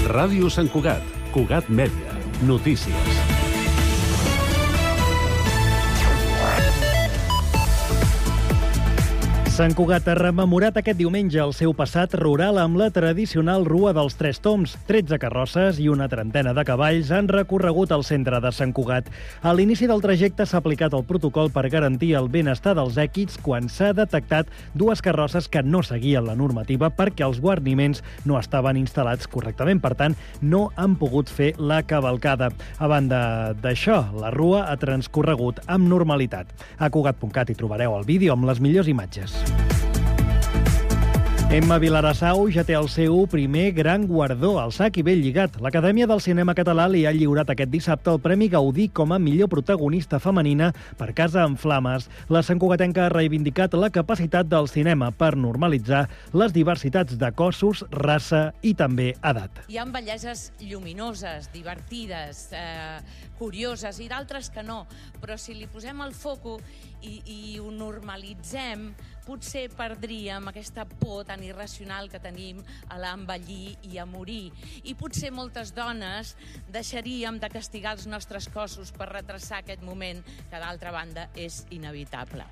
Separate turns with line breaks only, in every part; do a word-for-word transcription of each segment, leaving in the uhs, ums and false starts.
Ràdio Sant Cugat, Cugat Mèdia, notícies.
Sant Cugat ha rememorat aquest diumenge el seu passat rural amb la tradicional Rua dels Tres Toms. tretze carrosses i una trentena de cavalls han recorregut el centre de Sant Cugat. A l'inici del trajecte s'ha aplicat el protocol per garantir el benestar dels èquids quan s'ha detectat dues carrosses que no seguien la normativa perquè els guarniments no estaven instal·lats correctament. Per tant, no han pogut fer la cavalcada. A banda d'això, la Rua ha transcorregut amb normalitat. A Cugat punt cat hi trobareu el vídeo amb les millors imatges. Emma Vilarassau ja té el seu primer gran guardó, el sac i ben lligat. L'Acadèmia del Cinema Català li ha lliurat aquest dissabte el Premi Gaudí com a millor protagonista femenina per Casa en Flames. La santcugatenca ha reivindicat la capacitat del cinema per normalitzar les diversitats de cossos, raça i també edat.
Hi ha belleses lluminoses, divertides, eh, curioses i d'altres que no, però si li posem el foco i, i ho normalitzem, potser perdríem aquesta por tan irracional que tenim a l'envellir i a morir. I potser moltes dones deixaríem de castigar els nostres cossos per retrasar aquest moment que, d'altra banda, és inevitable.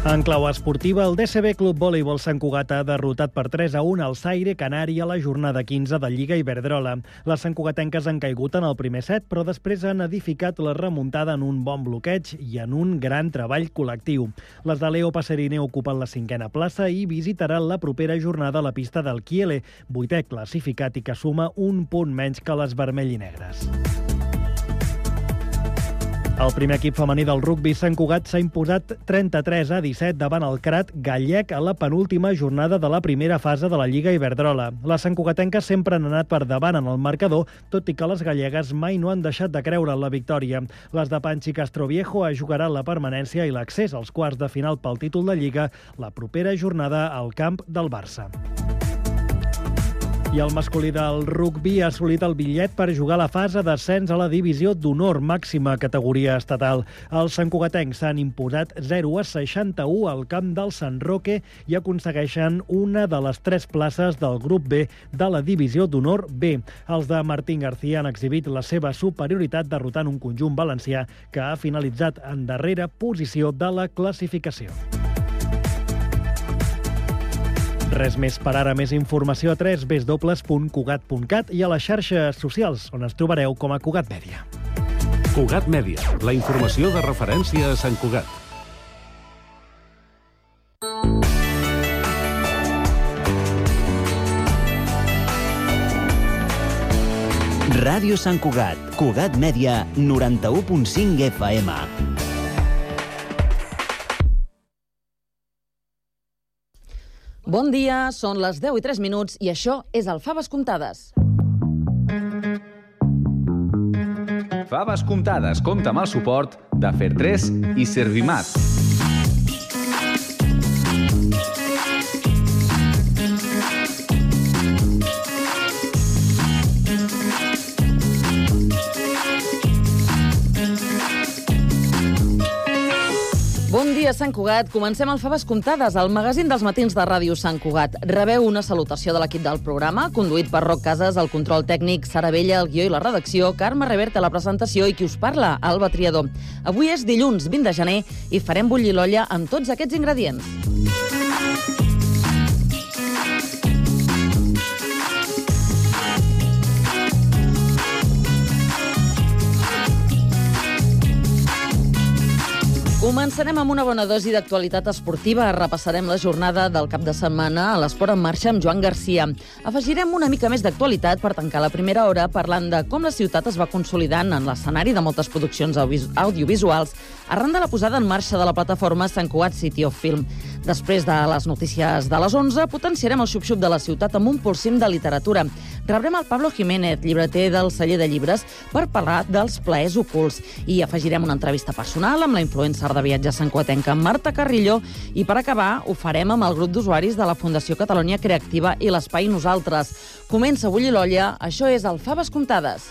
En clau esportiva, el D C B Club Voleibol Sant Cugat ha derrotat per tres a un al Zaire Canari a la jornada quinze de Lliga Iberdrola. Les santcugatenques han caigut en el primer set, però després han edificat la remuntada en un bon bloqueig i en un gran treball col·lectiu. Les de Leo Passerine ocupen la cinquena plaça i visitaran la propera jornada a la pista del Kiele, vuitè classificat i que suma un punt menys que les vermell i negres. El primer equip femení del rugbi Sant Cugat s'ha imposat trenta-tres a disset davant el Crat gallec a la penúltima jornada de la primera fase de la Lliga Iberdrola. Les santcugatenques sempre han anat per davant en el marcador, tot i que les gallegues mai no han deixat de creure en la victòria. Les de Panchi Castroviejo jugaran la permanència i l'accés als quarts de final pel títol de Lliga la propera jornada al camp del Barça. I el masculí del rugbi ha assolit el bitllet per jugar a la fase d'ascens a la divisió d'honor, màxima categoria estatal. Els santcugatencs s'han imposat zero a seixanta-u al camp del Sant Roque i aconsegueixen una de les tres places del grup B de la divisió d'honor B. Els de Martín García han exhibit la seva superioritat derrotant un conjunt valencià que ha finalitzat en darrera posició de la classificació. Res més per ara. Més informació a w w w punt cugat punt cat i a les xarxes socials, on ens trobareu com a Cugat Mèdia.
Cugat Mèdia, la informació de referència a Sant Cugat.
Ràdio Sant Cugat, Cugat Mèdia, noranta-u punt cinc F M.
Bon dia, són les deu i tres minuts i això és el Faves Comptades.
Faves Comptades compta amb el suport de Fertres i Servimat.
Bon dia, Sant Cugat. Comencem el Faves Comptades, el magazín dels matins de Ràdio Sant Cugat. Rebeu una salutació de l'equip del programa, conduït per Roc Casas, el control tècnic, Sara Vella, el guió i la redacció, Carme Reverte, la presentació i qui us parla, Alba Triador. Avui és dilluns, vint de gener, i farem bullir l'olla amb tots aquests ingredients. Començarem amb una bona dosi d'actualitat esportiva. Repassarem la jornada del cap de setmana a l'Esport en Marxa amb Joan Garcia. Afegirem una mica més d'actualitat per tancar la primera hora parlant de com la ciutat es va consolidant en l'escenari de moltes produccions audiovisuals arran de la posada en marxa de la plataforma Sant Cugat City of Film. Després de les notícies de les onze, potenciarem el xup-xup de la ciutat amb un polsim de literatura. Rebrem el Pablo Jiménez, llibreter del celler de llibres, per parlar dels plaers ocults. I afegirem una entrevista personal amb la influencer de viatge santcugatenca Marta Carrillo i per acabar ho farem amb el grup d'usuaris de la Fundació Catalunya Creativa i l'Espai Nosaltres. Comença a bullir l'olla, això és el Faves Comptades.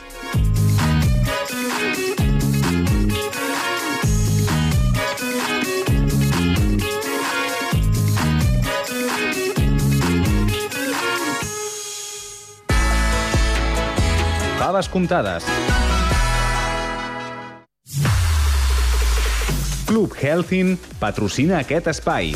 faves comptades. Club Healthin patrocina aquest espai.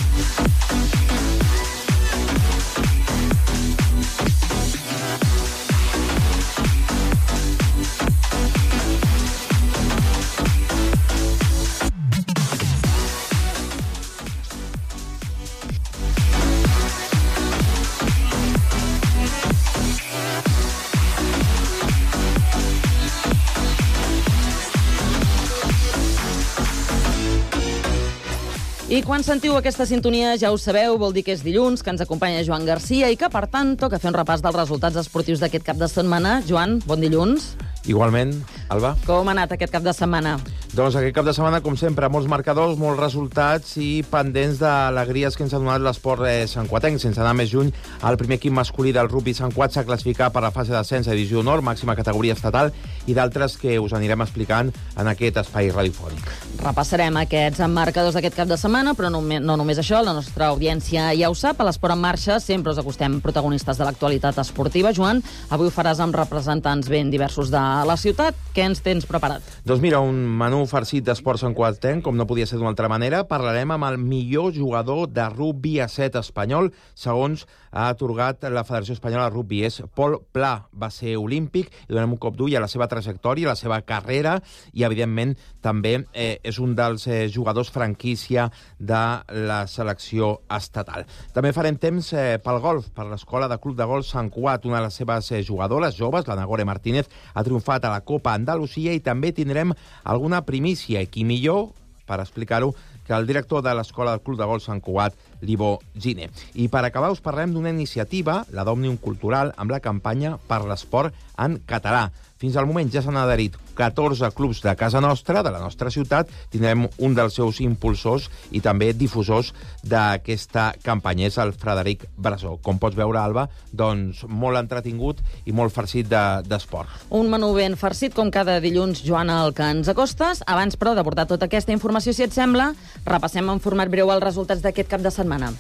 I quan sentiu aquesta sintonia, ja ho sabeu, vol dir que és dilluns, que ens acompanya Joan Garcia i que, per tant, toca fer un repàs dels resultats esportius d'aquest cap de setmana. Joan, bon dilluns.
Igualment, Alba.
Com ha anat aquest cap de setmana?
Doncs aquest cap de setmana, com sempre, molts marcadors, molts resultats i pendents d'alegries que ens ha donat l'esport eh, santcuatenc. Sense anar més lluny, el primer equip masculí del rugby Sant Cuat s'ha classificat per la fase d'ascens a Divisió Nord, màxima categoria estatal, i d'altres que us anirem explicant en aquest espai radiofònic.
Repassarem aquests marcadors d'aquest cap de setmana, però no, no només això, la nostra audiència ja ho sap. A l'Esport en Marxa sempre us acostem protagonistes de l'actualitat esportiva. Joan, avui ho faràs amb representants ben diversos de la ciutat. Què ens tens preparat?
Doncs mira, un menú farcit d'esport santcuatenc, com no podia ser d'una altra manera. Parlarem amb el millor jugador de rugby a set espanyol, segons ha atorgat la Federació Espanyola de Rugby. És Pol Pla, va ser olímpic, i donem un cop d'ull a la seva trajectòria, a la seva carrera, i evidentment també eh, és un dels eh, jugadors franquícia de la selecció estatal. També farem temps eh, pel golf, per l'escola de Club de Golf Sant Cuat. Una de les seves eh, jugadores joves, la Nagore Martínez, ha triomfat a la Copa Andalusia, i també tindrem alguna primícia, i qui millor per explicar-ho que el director de l'Escola del Club de Golf Sant Cuat, Libó Gine. I per acabar us parlem d'una iniciativa, la d'Òmnium Cultural, amb la campanya per l'esport en català. Fins al moment ja s'han adherit catorze clubs de casa nostra, de la nostra ciutat. Tindrem un dels seus impulsors i també difusors d'aquesta campanya. És el Frederic Brasó. Com pots veure, Alba, doncs molt entretingut i molt farcit d'esport. De,
un menú ben farcit, com cada dilluns, Joan, el que ens acostes. Abans, però, d'abordar tota aquesta informació, si et sembla, repassem en format breu els resultats d'aquest cap de setmana.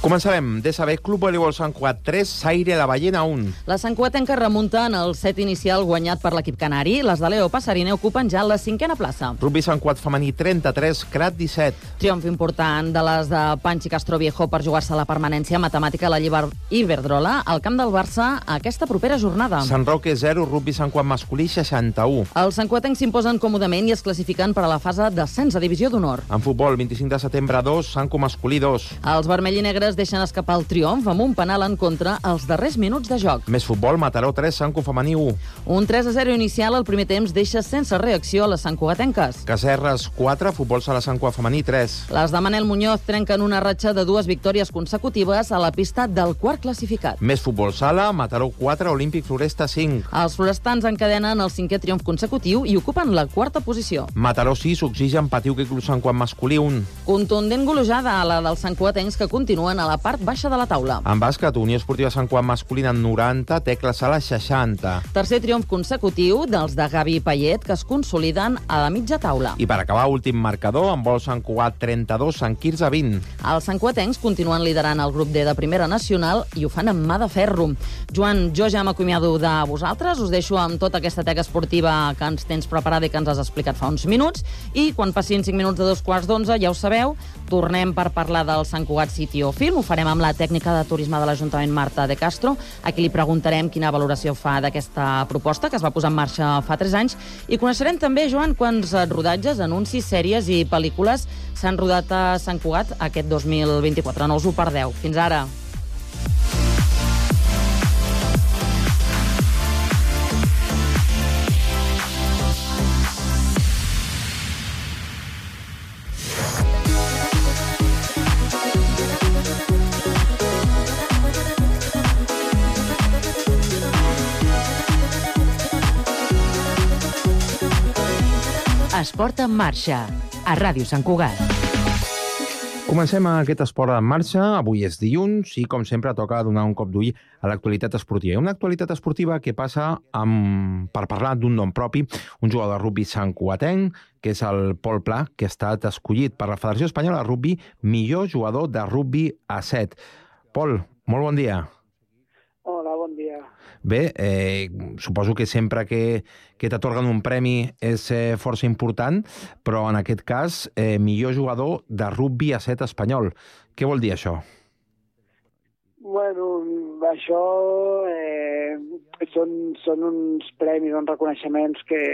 Començarem. D S B Club Voleibol Sant Cuat tres, Saire la Ballena un.
La santcuatenca remunta en el set inicial guanyat per l'equip canari. Les de Leo Passarina ocupen ja la cinquena plaça.
Rugby Sant Cuat femení trenta-tres, Crat disset.
Triomf important de les de Panchi Castroviejo per jugar-se la permanència matemàtica a la Lliber Iberdrola al camp del Barça aquesta propera jornada.
Sant Roque zero, Rugby Sant Cuat masculí seixanta-u.
Els santcuatencs s'imposen còmodament i es classifiquen per a la fase d'ascens a Divisió d'Honor.
En futbol, vint-i-cinc de setembre dos, Sanco masculí dos.
Els vermell i negres deixen escapar el triomf amb un penal en contra als darrers minuts de joc.
Més futbol, Mataró tres, Sanco femení u.
Un tres a zero inicial al primer temps deixa sense reacció a les santcugatenques.
Cacerres quatre, Futbol Sala Sant Cuat femení tres.
Les de Manel Muñoz trenquen una ratxa de dues victòries consecutives a la pista del quart classificat.
Més futbol sala, Mataró quatre, Olímpic Floresta cinc.
Els florestans encadenen el cinquè triomf consecutiu i ocupen la quarta posició.
Mataró sis, Oxigen, Patiuc i Club Sant Cuat masculí un.
Contundent golejada a la dels santcuatencs que continuen a la part baixa de la taula.
En bàsquet, Unió Esportiva Sant Cuat masculina noranta, Tecla Sala seixanta.
Tercer triomf consecutiu dels de Gavi i Payet, que es consoliden a la mitja taula.
I per acabar, últim marcador, en vol Sant Cuat trenta-dos, Sant Quirze vint.
Els santcuatencs continuen liderant el grup D de Primera Nacional i ho fan amb mà de ferro. Joan, jo ja m'acomiado de vosaltres, us deixo amb tota aquesta teca esportiva que ens tens preparada i que ens has explicat fa uns minuts, i quan passin cinc minuts de dos quarts d'onze, ja ho sabeu, tornem per parlar del Sant Cugat City o Film. Ho farem amb la tècnica de turisme de l'Ajuntament, Marta de Castro. Aquí li preguntarem quina valoració fa d'aquesta proposta que es va posar en marxa fa tres anys. I coneixerem també, Joan, quants rodatges, anuncis, sèries i pel·lícules s'han rodat a Sant Cugat aquest dos mil vint-i-quatre. No us ho perdeu. Fins ara.
Esport en marxa, a Ràdio Sant Cugat.
Comencem aquest esport en marxa. Avui és dilluns i, com sempre, toca donar un cop d'ull a l'actualitat esportiva. Una actualitat esportiva que passa amb, per parlar d'un nom propi, un jugador de rugby santcugatenc, que és el Pol Pla, que ha estat escollit per la Federació Espanyola de Rugby millor jugador de rugby a set. Pol, molt bon dia.
Hola, bon dia.
Bé, eh, suposo que sempre que, que t'atorguen un premi és eh, força important, però en aquest cas, eh, millor jugador de rugby a set espanyol. Què vol dir això?
Bueno, això eh, són, són uns premis, uns reconeixements que,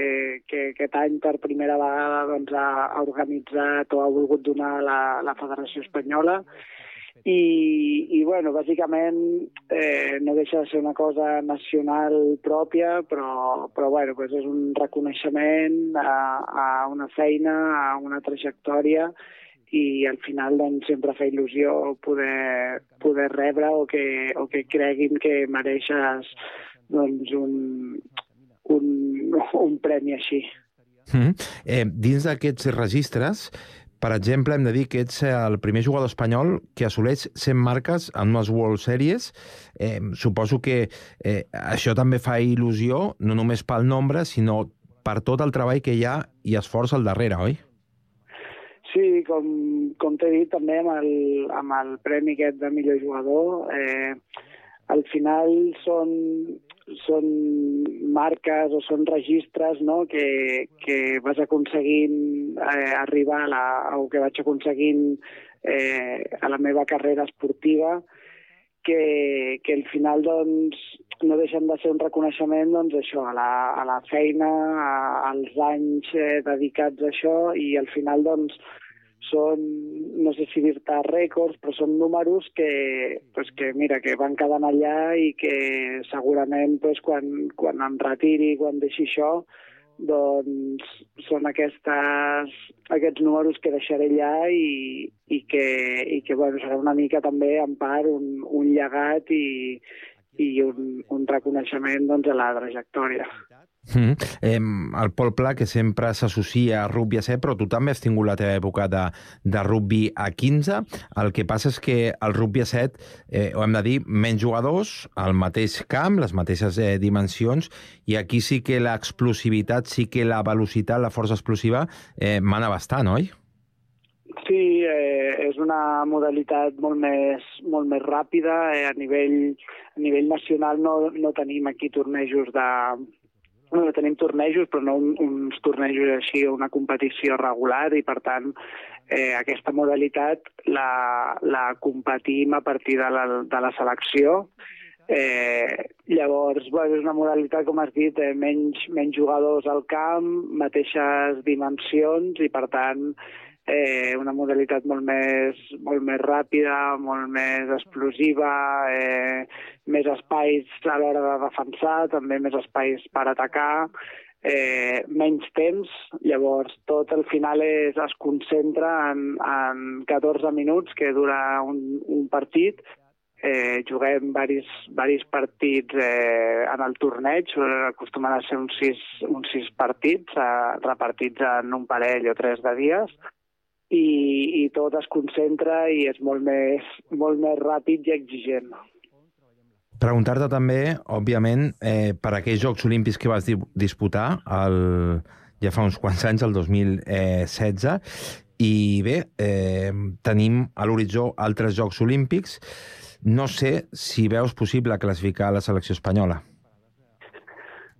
que aquest any per primera vegada doncs, ha organitzat o ha volgut donar la, la Federació Espanyola. I, i bueno, bàsicament eh, no deixa de ser una cosa nacional pròpia, però, però bueno, pues és un reconeixement a, a una feina, a una trajectòria, i al final doncs, sempre fa il·lusió poder, poder rebre o que, o que creguin que mereixes doncs, un, un, un premi així.
Mm-hmm. eh, dins d'aquests registres, per exemple, hem de dir que ets el primer jugador espanyol que assoleix cent marques en unes World Series. Eh, suposo que eh, això també fa il·lusió, no només pel nombre, sinó per tot el treball que hi ha i esforç al darrere, oi?
Sí, com, com t'he dit també amb el, amb el premi aquest de millor jugador, eh, al final són, són marques o són registres, no?, que, que vas aconseguint eh, arribar a la, o que vaig aconseguint eh, a la meva carrera esportiva, que, que al final doncs, no deixen de ser un reconeixement doncs, això, a, la, a la feina, a, als anys eh, dedicats a això, i al final doncs, són, no sé si dir-te rècords, però són números que, pues que, mira, que van quedant allà i que segurament pues, quan, quan em retiri, quan deixi això, doncs són aquestes, aquests números que deixaré allà i, i que, i que bueno, serà una mica també, en part, un, un llegat i, i un, un reconeixement doncs, a la trajectòria.
Mm. Eh, el Pol Pla, que sempre s'associa a rugby a set, però tu també has tingut la teva època de, de rugby a quinze. El que passa és que el rugby a set, eh, ho hem de dir, menys jugadors, al mateix camp, les mateixes eh, dimensions, i aquí sí que l'explosivitat, sí que la velocitat, la força explosiva, eh, mana bastant, oi?
Sí, eh, és una modalitat molt més, molt més ràpida. Eh, a, nivell, a nivell nacional no, no tenim aquí tornejos de... Bueno, tenim tornejos, però no un, uns tornejos així, una competició regular, i per tant eh, aquesta modalitat la, la competim a partir de la, de la selecció. Eh, llavors, bueno, és una modalitat, com has dit, eh, menys, menys jugadors al camp, mateixes dimensions, i per tant eh, una modalitat molt més, molt més ràpida, molt més explosiva, eh, més espais a l'hora de defensar, també més espais per atacar, eh, menys temps. Llavors tot al final és, es concentra en, en catorze minuts que dura un, un partit. Eh, juguem varis, varis partits eh, en el torneig, acostumen a ser uns sis, uns sis partits eh, repartits en un parell o tres de dies, i, i tot es concentra i és molt més, molt més ràpid i exigent.
Preguntar-te també, òbviament, eh, per aquells Jocs Olímpics que vas disputar el, ja fa uns quants anys, el dos mil setze, i bé, eh, tenim a l'horitzó altres Jocs Olímpics. No sé si veus possible classificar la selecció espanyola.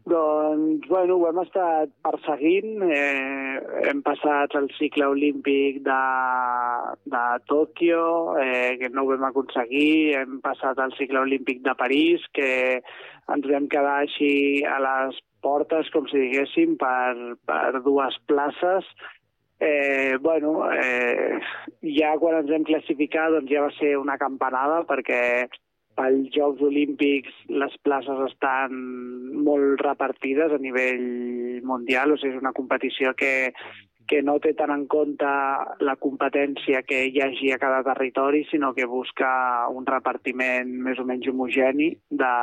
Doncs, bueno, ho hem estat perseguint. Eh, hem passat el cicle olímpic de, de Tòquio, eh, que no ho vam aconseguir. Hem passat el cicle olímpic de París, que ens vam quedar així a les portes, com si diguéssim, per, per dues places. Eh, bueno, eh, ja quan ens vam classificar doncs ja va ser una campanada, perquè pels Jocs Olímpics les places estan molt repartides a nivell mundial, o sigui, és una competició que, que no té tant en compte la competència que hi hagi a cada territori, sinó que busca un repartiment més o menys homogeni de,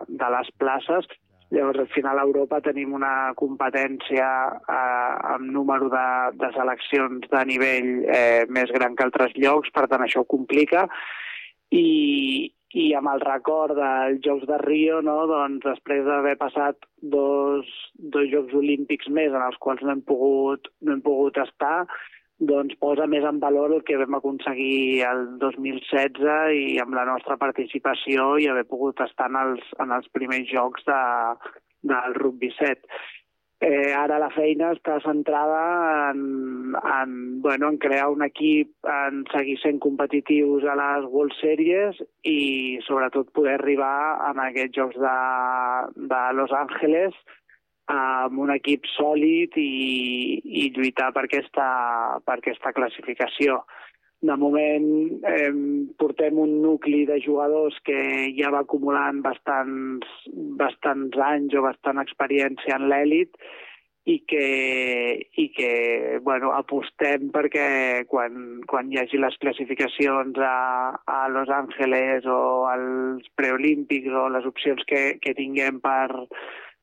de les places. Llavors, al final, a Europa tenim una competència eh, amb número de, de seleccions de nivell eh, més gran que altres llocs, per tant, això ho complica. I, i amb el record dels Jocs de Rio, no, doncs, després d'haver passat dos, dos Jocs Olímpics més en els quals no hem pogut, no hem pogut estar, doncs posa més en valor el que vam aconseguir el dos mil setze i amb la nostra participació i haver pogut estar en els, en els primers jocs de, del rugby set. Eh, ara la feina està centrada en, en, bueno, en crear un equip, en seguir sent competitius a les World Series i sobretot poder arribar a aquests jocs de, de Los Angeles amb un equip sòlid i, i lluitar per aquesta, per aquesta classificació. De moment eh, portem un nucli de jugadors que ja va acumulant bastants, bastants anys o bastant experiència en l'èlit i que, i que bueno, apostem perquè quan, quan hi hagi les classificacions a, a Los Angeles o als preolímpics o les opcions que, que tinguem per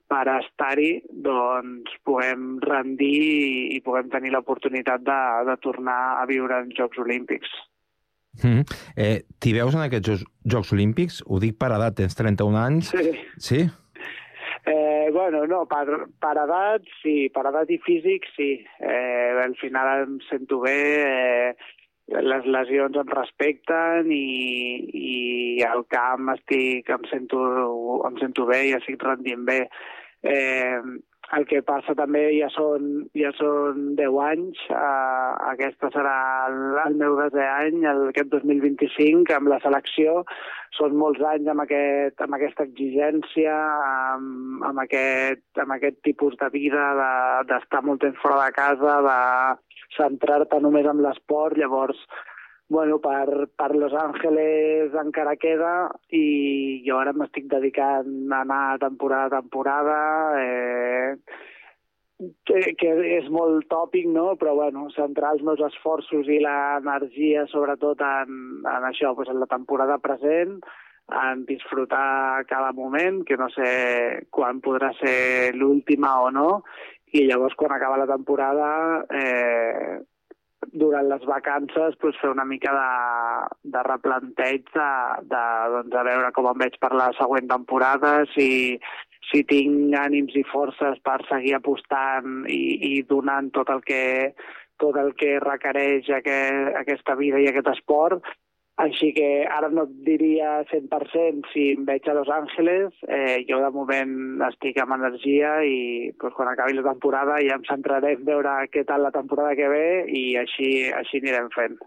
per estar-hi, doncs puguem rendir i, i puguem tenir l'oportunitat de, de tornar a viure en Jocs Olímpics.
Mm. Eh, T'hi veus en aquests Jocs, Jocs Olímpics? Ho dic per edat, tens trenta-un anys.
Sí.
Sí?
Eh, bueno, no, per, per edat sí, per edat i físic sí. Eh, al final em sento bé, eh, les lesions em respecten i, i al camp estic, em sento, em sento bé i estic rendint bé. Eh, el que passa també ja són, ja són deu anys, eh, aquesta serà el, el meu desè any, el, aquest dos mil vint-i-cinc, amb la selecció. Són molts anys amb, aquest, amb aquesta exigència, amb, amb, aquest, amb aquest tipus de vida, d'estar de, molt temps fora de casa, de centrar-te només en l'esport. Llavors, bueno, per, per Los Angeles encara queda i jo ara m'estic dedicant a anar temporada a temporada, eh, que, que és molt tòpic, no? Però bueno, centrar els meus esforços i l'energia sobretot en, en això, doncs en la temporada present, en disfrutar cada moment, que no sé quan podrà ser l'última o no, i llavors quan acaba la temporada eh, durant les vacances pues, fer una mica de, de replanteig de, de, doncs, de veure com em veig per la següent temporada, si, si tinc ànims i forces per seguir apostant i, i donant tot el que, tot el que requereix aquest, aquesta vida i aquest esport. Així que ara no et diria cent per cent si em veig a Los Angeles, eh, jo de moment estic amb energia i pues, quan acabi la temporada ja em centraré en veure què tal la temporada que ve i així, així anirem fent.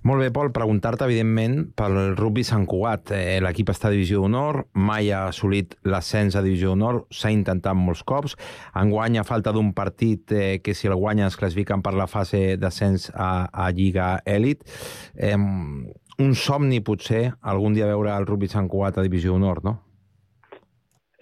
Molt bé, Pol, preguntar-te, evidentment, pel rugby Sant Cugat. Eh, L'equip està a Divisió d'Honor, mai ha assolit l'ascens a Divisió d'Honor, s'ha intentat molts cops. Enguany, a falta d'un partit eh, que si el guanya es classifiquen per la fase d'ascens a, a Lliga Èlit. Eh, un somni, potser, algun dia veure el rugby Sant Cugat a Divisió d'Honor, no?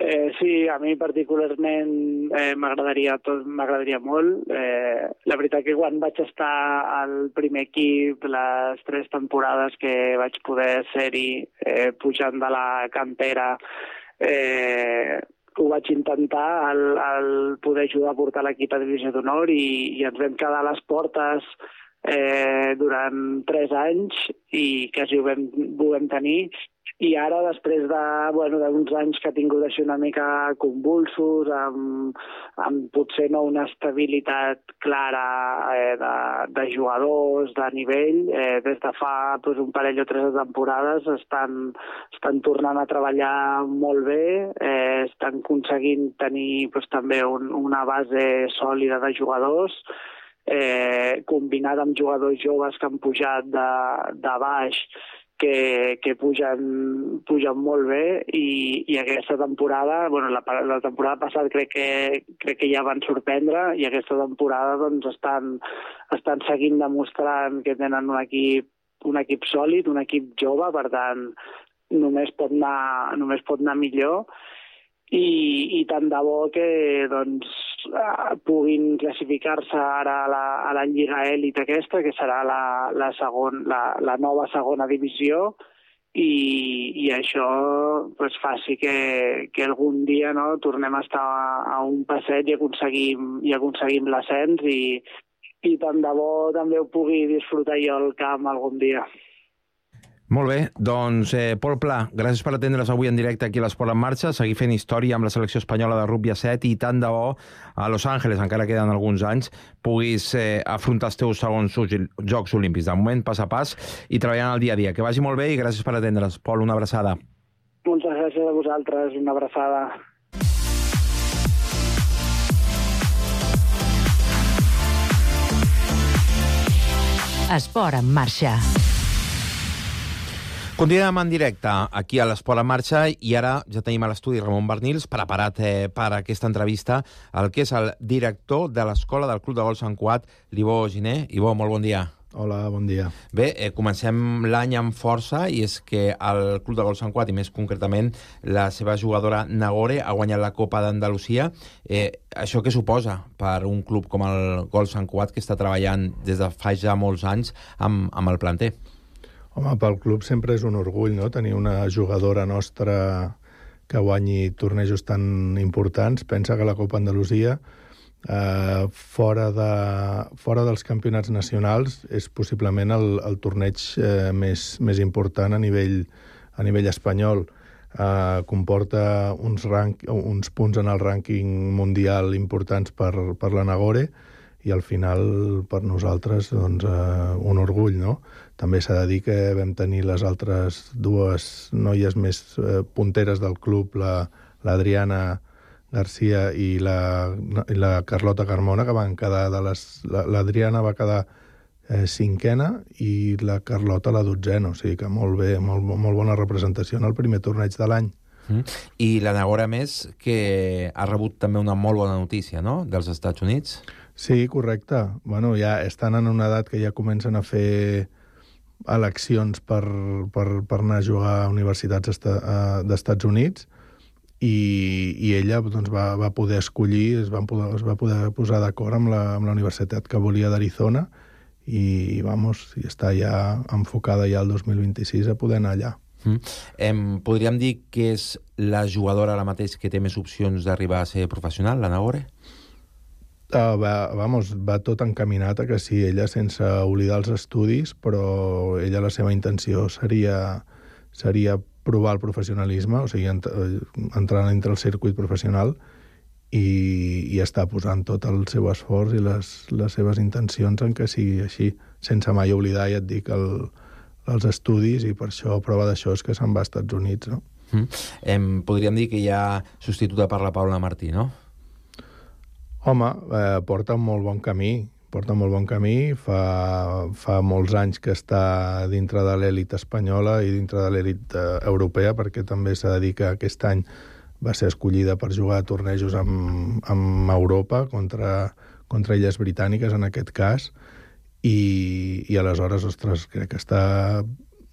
Eh, sí, a mi particularment eh, m'agradaria tot, m'agradaria molt. Eh, la veritat que quan vaig estar al primer equip, les tres temporades que vaig poder ser-hi eh, pujant de la cantera, eh, ho vaig intentar, el, el poder ajudar a portar l'equip a Divisió d'Honor i, i ens vam quedar a les portes eh, durant tres anys i quasi ho vam, ho vam tenir. I ara, després de, bueno, d'uns anys que ha tingut així una mica convulsos, amb, amb potser no una estabilitat clara eh, de, de jugadors, de nivell, eh, des de fa pues, un parell o tres de temporades estan, estan tornant a treballar molt bé, eh, estan aconseguint tenir pues, també un, una base sòlida de jugadors, eh, combinat amb jugadors joves que han pujat de, de baix, que, que pugen, pugen molt bé i, i aquesta temporada, bueno, la, la temporada passada crec que, crec que ja van sorprendre i aquesta temporada doncs, estan, estan seguint demostrant que tenen un equip, un equip sòlid, un equip jove, per tant només pot anar, només pot anar millor i, i tant de bo que doncs, puguin classificar-se ara a la, a la Lliga Èlit aquesta, que serà la, la, segon, la, la nova segona divisió, i, i això pues, faci que, que algun dia no, tornem a estar a, a un passeig i aconseguim, i aconseguim l'ascens i, i tant de bo també ho pugui disfrutar jo al camp algun dia.
Molt bé, doncs eh, Pol Pla, gràcies per atendre's avui en directe aquí a l'Esport en Marxa, seguir fent història amb la selecció espanyola de rugby a set i tant de bo a Los Angeles, encara queden alguns anys, puguis eh, afrontar els teus segons Jocs Olímpics. De moment, pas a pas i treballant el dia a dia. Que vagi molt bé i gràcies per atendre's. Pol, una abraçada.
Moltes gràcies a vosaltres, una abraçada.
Esport en Marxa.
Continuem en directe aquí a l'Esport en Marxa i ara ja tenim a l'estudi Ramon Barnils preparat eh, per aquesta entrevista el que és el director de l'Escola del Club de Golf Sant Cugat, l'Ivo Giner. Ivo, molt bon dia.
Hola, bon dia.
Bé, eh, comencem l'any amb força i és que el Club de Golf Sant Cugat i més concretament la seva jugadora Nagore ha guanyat la Copa d'Andalusia. Eh, això què suposa per un club com el Golf Sant Cugat que està treballant des de fa ja molts anys amb, amb el planter?
Home, pel club sempre és un orgull, no?, tenir una jugadora nostra que guanyi tornejos tan importants. Pensa que la Copa Andalusia, eh, fora, de, fora dels campionats nacionals, és possiblement el, el torneig eh, més, més important a nivell, a nivell espanyol. Eh, comporta uns, rank, uns punts en el rànquing mundial importants per, per la Nagore, i al final per nosaltres doncs, eh, un orgull, no? També s'ha de dir que vam tenir les altres dues noies més eh, punteres del club, la, l'Adriana Garcia i la, i la Carlota Carmona, que van quedar de les... La, l'Adriana va quedar eh, cinquena i la Carlota la dotzena, o sigui que molt bé, molt, molt bona representació en el primer torneig de l'any.
Mm. I la Nagore, més, que ha rebut també una molt bona notícia, no?, dels Estats Units.
Sí, correcte. Bueno, ja estan en una edat que ja comencen a fer eleccions per, per, per anar a jugar a universitats esta, a, d'Estats Units i, i ella doncs, va, va poder escollir, es, van poder, es va poder posar d'acord amb la, amb la universitat que volia d'Arizona i, vamos, i està ja enfocada ja el dos mil vint-i-sis a poder anar allà.
Mm. Em, podríem dir que és la jugadora ara mateix que té més opcions d'arribar a ser professional, la Nagore?
Uh, va, vamos, va tot encaminat a que sí, ella sense oblidar els estudis, però ella la seva intenció seria, seria provar el professionalisme, o sigui, ent entrar dintre el circuit professional i, i està posant tot el seu esforç i les, les seves intencions en que sigui així, sense mai oblidar, ja et dic, el, els estudis, i per això, prova d'això és que se'n va als Estats Units, no?
Mm. Em, podríem dir que hi ha substituta per la Paula Martí, no?
Home, eh, porta un molt bon camí, porta molt bon camí, fa, fa molts anys que està dintre de l'èlit espanyola i dintre de l'èlit eh, europea, perquè també s'ha de dir que aquest any va ser escollida per jugar a tornejos amb, amb Europa, contra, contra illes britàniques en aquest cas, i, i aleshores, ostres, crec que està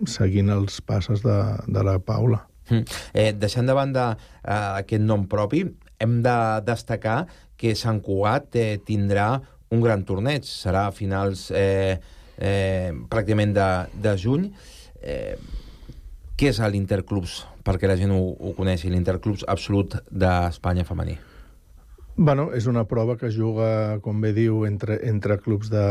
seguint els passos de, de la Paula.
Mm. Eh, deixant de banda eh, aquest nom propi, hem de destacar que Sant Cugat eh, tindrà un gran torneig. Serà a finals eh, eh, pràcticament de, de juny. Eh, què és l'Interclubs, perquè la gent ho, ho coneixi, l'Interclubs absolut d'Espanya femení?
Bueno, és una prova que es juga, com bé diu, entre, entre clubs de,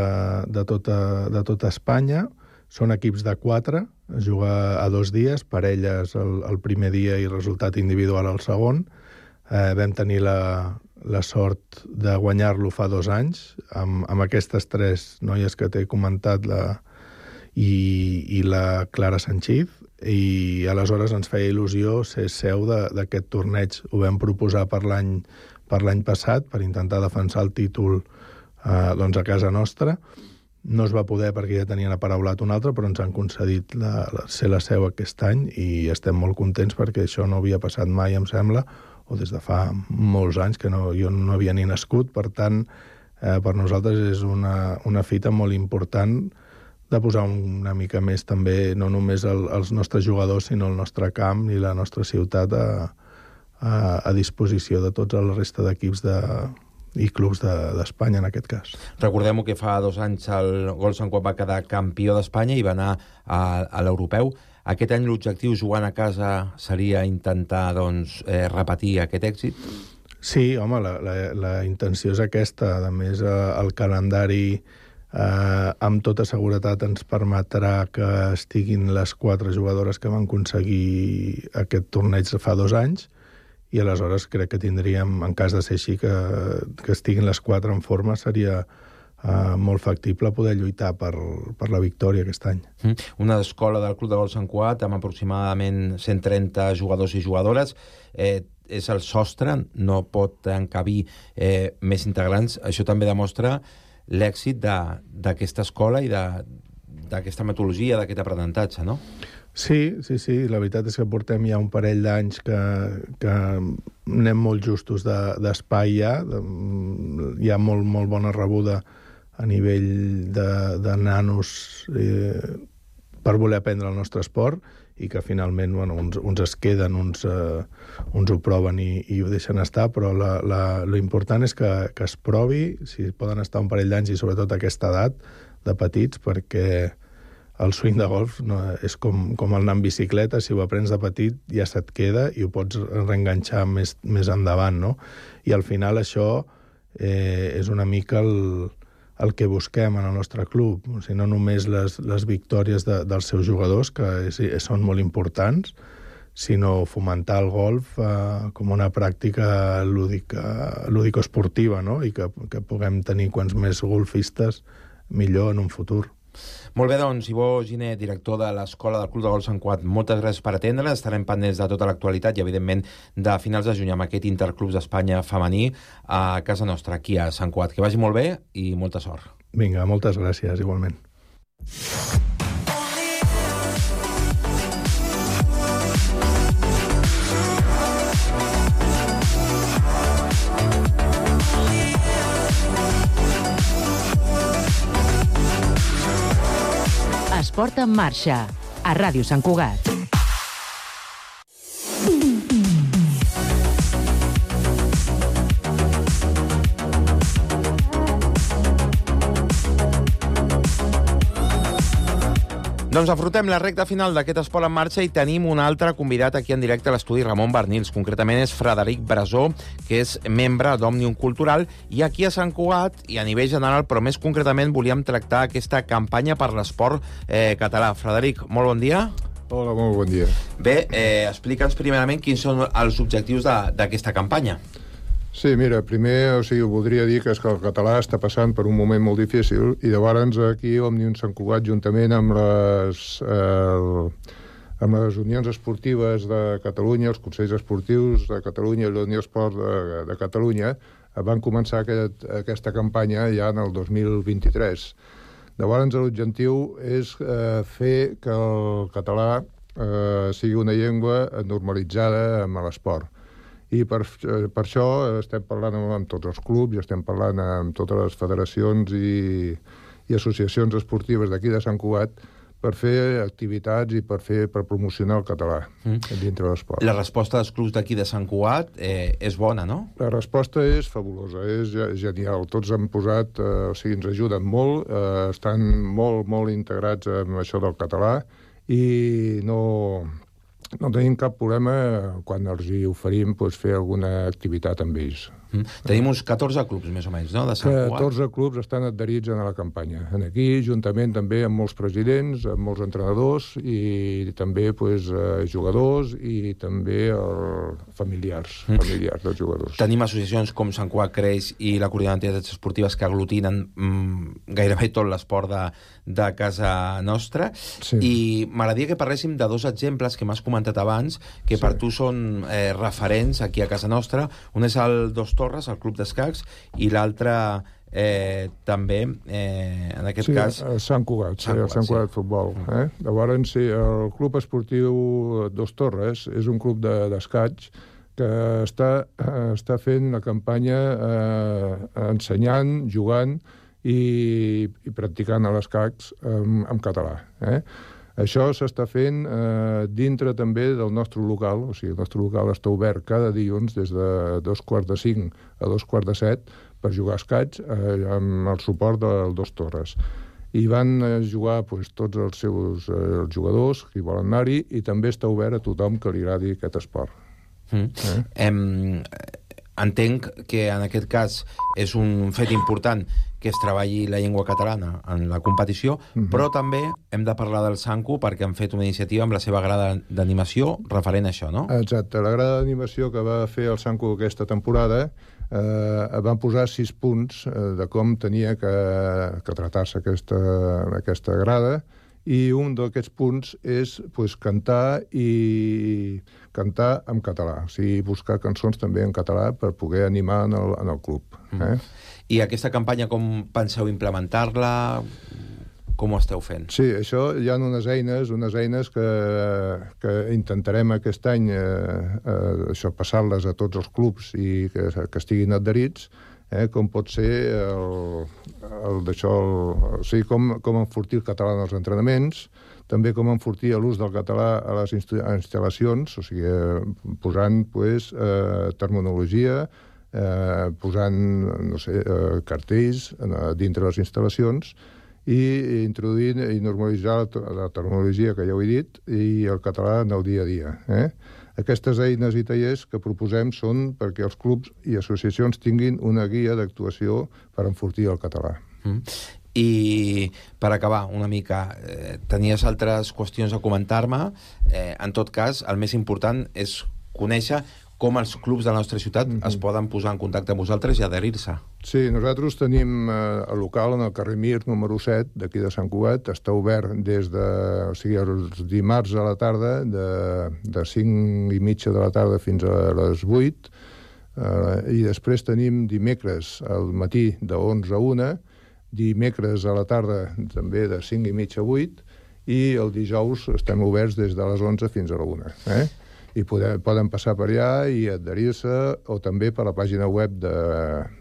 de, tota, de tota Espanya. Són equips de quatre, es juga a dos dies, parelles el, el primer dia i resultat individual el segon. Eh, vam tenir la, la sort de guanyar-lo fa dos anys, amb, amb aquestes tres noies que t'he comentat, la, i, i la Clara Sanchiz, i aleshores ens feia il·lusió ser seu d'aquest torneig. Ho vam proposar per l'any per l'any passat, per intentar defensar el títol eh, doncs a casa nostra. No es va poder perquè ja tenien aparaulat un altre, però ens han concedit la, la, ser la seu aquest any i estem molt contents perquè això no havia passat mai, em sembla, o des de fa molts anys, que no, jo no havia ni nascut. Per tant, eh, per nosaltres és una, una fita molt important de posar una mica més també, no només el, els nostres jugadors, sinó el nostre camp i la nostra ciutat a, a, a disposició de tots el resta d'equips de, i clubs d'Espanya, de, en aquest cas.
Recordem que fa dos anys el Golf Sant Cugat va quedar campió d'Espanya i va anar a, a l'europeu. Aquest any l'objectiu jugant a casa seria intentar doncs, eh, repetir aquest èxit?
Sí, home, la, la, la intenció és aquesta. A més, eh, el calendari eh, amb tota seguretat ens permetrà que estiguin les quatre jugadores que van aconseguir aquest torneig fa dos anys, i aleshores crec que tindríem, en cas de ser així, que, que estiguin les quatre en forma, seria uh, molt factible poder lluitar per, per la victòria aquest any.
Una escola del Club de Golf Sant Cugat amb aproximadament cent trenta jugadors i jugadores. Eh, és el sostre, no pot encabir eh, més integrants. Això també demostra l'èxit d'aquesta escola i d'aquesta metodologia, d'aquest aprenentatge, no?
Sí, sí, sí. La veritat és que portem ja un parell d'anys que, que anem molt justos d'espai de, ja. De, hi ha molt, molt bona rebuda a nivell de, de nanos eh, per voler aprendre el nostre esport, i que finalment bueno, uns, uns es queden, uns, eh, uns ho proven i, i ho deixen estar, però la, la, l'important és que, que es provi, si poden estar un parell d'anys i sobretot a aquesta edat de petits, perquè el swing de golf no, és com, com el anar en bicicleta. Si ho aprens de petit ja se't queda i ho pots reenganxar més, més endavant, no? I al final això eh, és una mica el, el que busquem en el nostre club. O sigui, no només les, les victòries de, dels seus jugadors, que és, són molt importants, sinó fomentar el golf eh, com una pràctica lúdica, lúdico-esportiva, no? I que, que puguem tenir quants més golfistes millor en un futur.
Molt bé, doncs, Ivo Giner, director de l'Escola del Club de Golf Sant Cugat, moltes gràcies per atendre. Estarem pendents de tota l'actualitat i, evidentment, de finals de juny amb aquest Interclubs d'Espanya femení a casa nostra, aquí a Sant Cugat. Que vagi molt bé i molta sort.
Vinga, moltes gràcies, igualment.
Esport en marxa, a Ràdio Sant Cugat.
Doncs afrontem la recta final d'aquest Esport en marxa i tenim un altre convidat aquí en directe a l'estudi, Ramon Barnils. Concretament és Frederic Brasó, que és membre d'Òmnium Cultural, i aquí a Sant Cugat i a nivell general, però més concretament volíem tractar aquesta campanya per l'esport eh, català. Frederic, molt bon dia.
Hola, molt bon dia.
Bé, eh, explica'ns primerament quins són els objectius d'aquesta campanya.
Sí, mira, primer, o sigui, voldria dir que és que el català està passant per un moment molt difícil i llavors aquí Òmnium Sant Cugat, juntament amb les, eh, amb les unions esportives de Catalunya, els consells esportius de Catalunya i l'Unió Esport de, de Catalunya, van començar aquest, aquesta campanya ja en el dos mil vint-i-tres. Llavors l'objectiu és eh, fer que el català eh, sigui una llengua normalitzada amb l'esport. I per, per això estem parlant amb tots els clubs i estem parlant amb totes les federacions i, i associacions esportives d'aquí de Sant Cugat per fer activitats i per fer per promocionar el català mm. dintre de l'esport.
La resposta dels clubs d'aquí de Sant Cugat eh, és bona, no?
La resposta és fabulosa, és genial. Tots han posat, eh, o sigui, ens ajuden molt, eh, estan molt, molt integrats amb això del català i no... No tenim cap problema quan els hi oferim doncs, fer alguna activitat amb ells.
Mm. Tenim uns catorze clubs, més o menys, no?, de Sant Cugat.
catorze clubs estan adherits a la campanya. Aquí, juntament també amb molts presidents, amb molts entrenadors i també doncs, jugadors i també el... familiars, mm. familiars dels jugadors.
Tenim associacions com Sant Cugat Creix i la Coordinadora d'Entitats Esportives que aglutinen mm, gairebé tot l'esport de, de casa nostra. Sí. I m'agradaria que parléssim de dos exemples que m'has comentat abans, que sí. per tu són eh, referents aquí a casa nostra. Un és el Dos Torres, el club d'escacs, i l'altre eh, també, eh, en aquest
sí,
cas...
Sí, Sant Cugat,
Sant Cugat,
sí, Sant Cugat
sí.
Futbol. Eh? Llavors, sí, el club esportiu Dos Torres és un club d'escacs de, que està, està fent la campanya eh, ensenyant, jugant i, i practicant a l'escacs en, en català. Eh? Això s'està fent eh, dintre també del nostre local, o sigui, el nostre local està obert cada dilluns des de dos quarts de cinc a dos quarts de set per jugar a escacs eh, amb el suport del Dos Torres. i van jugar pues, tots els seus eh, jugadors que hi volen anar-hi, i també està obert a tothom que li agradi aquest esport.
Mm. Eh? Em, entenc que en aquest cas és un fet important que es treballi la llengua catalana en la competició, uh-huh. però també hem de parlar del Sanku perquè han fet una iniciativa amb la seva grada d'animació referent a això, no?
Exacte. La grada d'animació que va fer el Sanku aquesta temporada eh, van posar sis punts eh, de com tenia que, que tratar-se aquesta, aquesta grada, i un d'aquests punts és pues, cantar i cantar en català, o sigui, buscar cançons també en català per poder animar en el, en el club. Eh?
Mm. I aquesta campanya com penseu implementar-la? Com ho esteu fent?
Sí, això hi ha unes eines, unes eines que, que intentarem aquest any eh, eh, això passar-les a tots els clubs i que, que estiguin adherits, eh, com pot ser el, el d'això, el, o sigui, com, com enfortir el català en els entrenaments, també com enfortir l'ús del català a les instal·lacions, o sigui, posant pues, eh, terminologia, eh, posant no sé, eh, cartells eh, dintre les instal·lacions, i introduint i normalitzar la, la terminologia que ja ho he dit i el català en el dia a dia. Eh? Aquestes eines i tallers que proposem són perquè els clubs i associacions tinguin una guia d'actuació per enfortir el català.
Mm. I per acabar una mica, eh, tenies altres qüestions a comentar-me. Eh, en tot cas, el més important és conèixer com els clubs de la nostra ciutat mm-hmm. es poden posar en contacte amb vosaltres i adherir-se.
Sí, nosaltres tenim eh, el local en el carrer Mir, número set, d'aquí de Sant Cugat. Està obert des de... O sigui, els dimarts a la tarda, de, de cinc i mitja de la tarda fins a les vuit. Eh, I després tenim dimecres al matí de onze a una, dimecres a la tarda també de cinc i mitja a vuit, i el dijous estem oberts des de les onze fins a la una. Eh? I poder, poden passar per allà i adherir-se, o també per la pàgina web de,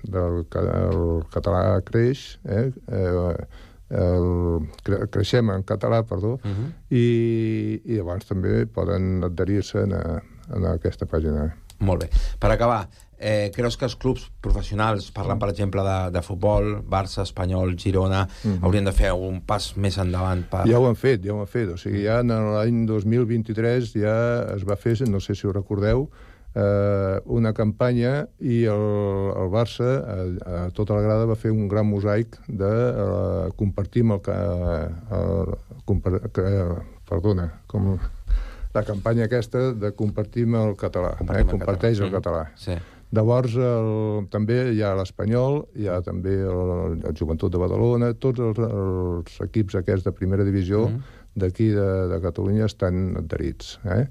del el Català Creix, eh? el, Creixem en català, perdó, uh-huh. i, i llavors també poden adherir-se en, a, en aquesta pàgina.
Molt bé. Per acabar, eh, creus que els clubs professionals, parlant per exemple de, de futbol, Barça, Espanyol, Girona, mm-hmm. haurien de fer un pas més endavant? Per...
Ja ho han fet, ja ho han fet. O sigui, ja en l'any dos mil vint-i-tres ja es va fer, no sé si ho recordeu, eh, una campanya i el, el Barça, a, a tota la grada, va fer un gran mosaic de eh, compartir amb el... el compar, que, perdona, com... la campanya aquesta de compartir el català, eh? Comparteix el català.
Sí.
Llavors, el, també hi ha l'Espanyol, hi ha també el, el Joventut de Badalona, tots els, els equips aquests de primera divisió mm. d'aquí de, de Catalunya estan adherits. Eh?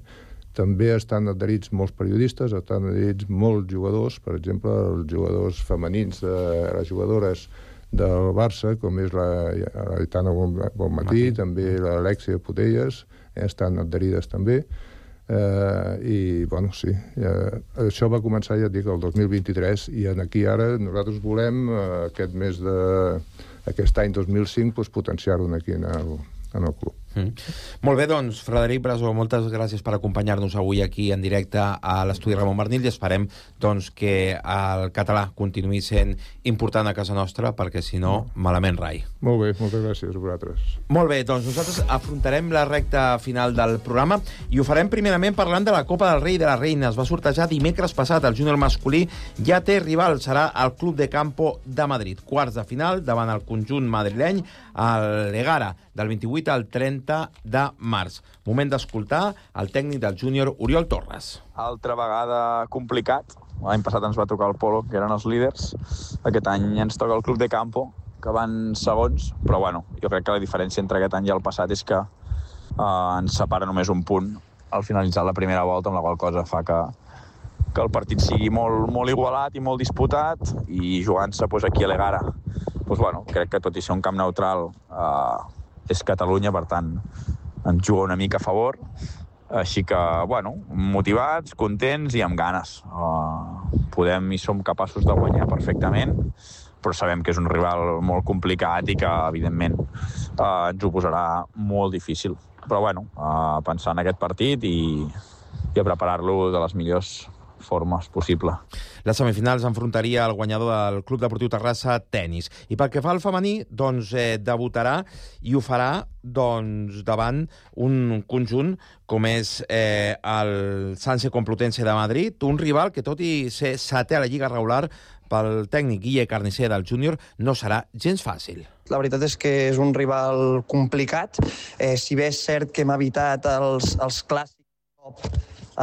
També estan adherits molts periodistes, estan adherits molts jugadors, per exemple, els jugadors femenins, de, les jugadores del Barça, com és la Aitana Bonmatí, també l'Alexia Putelles, eh, estan adherides també. Eh, I, bueno, sí, eh, això va començar, ja et dic, el dos mil vint-i-tres, i aquí ara nosaltres volem, eh, aquest mes de... aquest any dos mil cinc, pues, potenciar-ho aquí en el, en el club.
Mm. Molt bé, doncs, Frederic Brasó, moltes gràcies per acompanyar-nos avui aquí en directe a l'estudi Ramon Barnil, i esperem doncs, que el català continuï sent important a casa nostra, perquè si no, malament rai.
Molt bé, moltes gràcies a vosaltres.
Molt bé, doncs nosaltres afrontarem la recta final del programa i ho farem primerament parlant de la Copa del Rei i de la Reina. Es va sortejar dimecres passat, el júnior masculí ja té rival, serà el Club de Campo de Madrid. Quarts de final davant el conjunt madrileny, el Egara, del vint-i-vuit al trenta de març. Moment d'escoltar el tècnic del júnior, Oriol Torres.
Altra vegada complicat. L'any passat ens va tocar el Polo, que eren els líders. Aquest any ens toca el Club de Campo, que van segons, però bueno, jo crec que la diferència entre aquest any i el passat és que eh, ens separa només un punt al finalitzar la primera volta, amb la qual cosa fa que, que el partit sigui molt, molt igualat i molt disputat, i jugant-se pues, aquí a l'Egara, pues, bueno, crec que tot i ser un camp neutral eh, és Catalunya, per tant ens juga una mica a favor, així que, bueno, motivats, contents i amb ganes. Uh, podem i som capaços de guanyar perfectament, però sabem que és un rival molt complicat i que, evidentment, uh, ens ho posarà molt difícil. Però, bueno, uh, pensar en aquest partit i, i a preparar-lo de les millors forma és possible.
Les semifinals enfrontaria el guanyador del Club Deportiu Terrassa Tenis. I pel que fa al femení, doncs eh, debutarà i ho farà doncs, davant un conjunt com és eh, el Sanse Complutense de Madrid, un rival que, tot i ser setè a la Lliga regular, pel tècnic Guille Carnicer del júnior, no serà gens fàcil.
La veritat és que és un rival complicat. Eh, si bé és cert que hem evitat els, els clàssics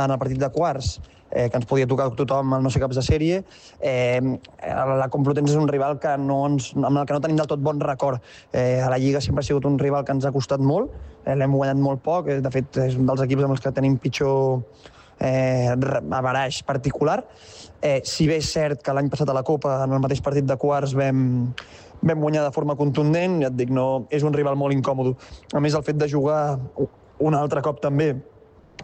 en el partit de quarts, eh, que ens podia tocar tothom al no ser caps de sèrie, eh, la Complutense és un rival que no ens, amb el que no tenim del tot bon record. Eh, a la Lliga sempre ha sigut un rival que ens ha costat molt, eh, l'hem guanyat molt poc, eh, de fet és un dels equips amb els que tenim pitjor eh, averaix particular. Eh, si bé és cert que l'any passat a la Copa, en el mateix partit de quarts, vam, vam guanyar de forma contundent, ja et dic, no, és un rival molt incòmode. A més, el fet de jugar un altre cop també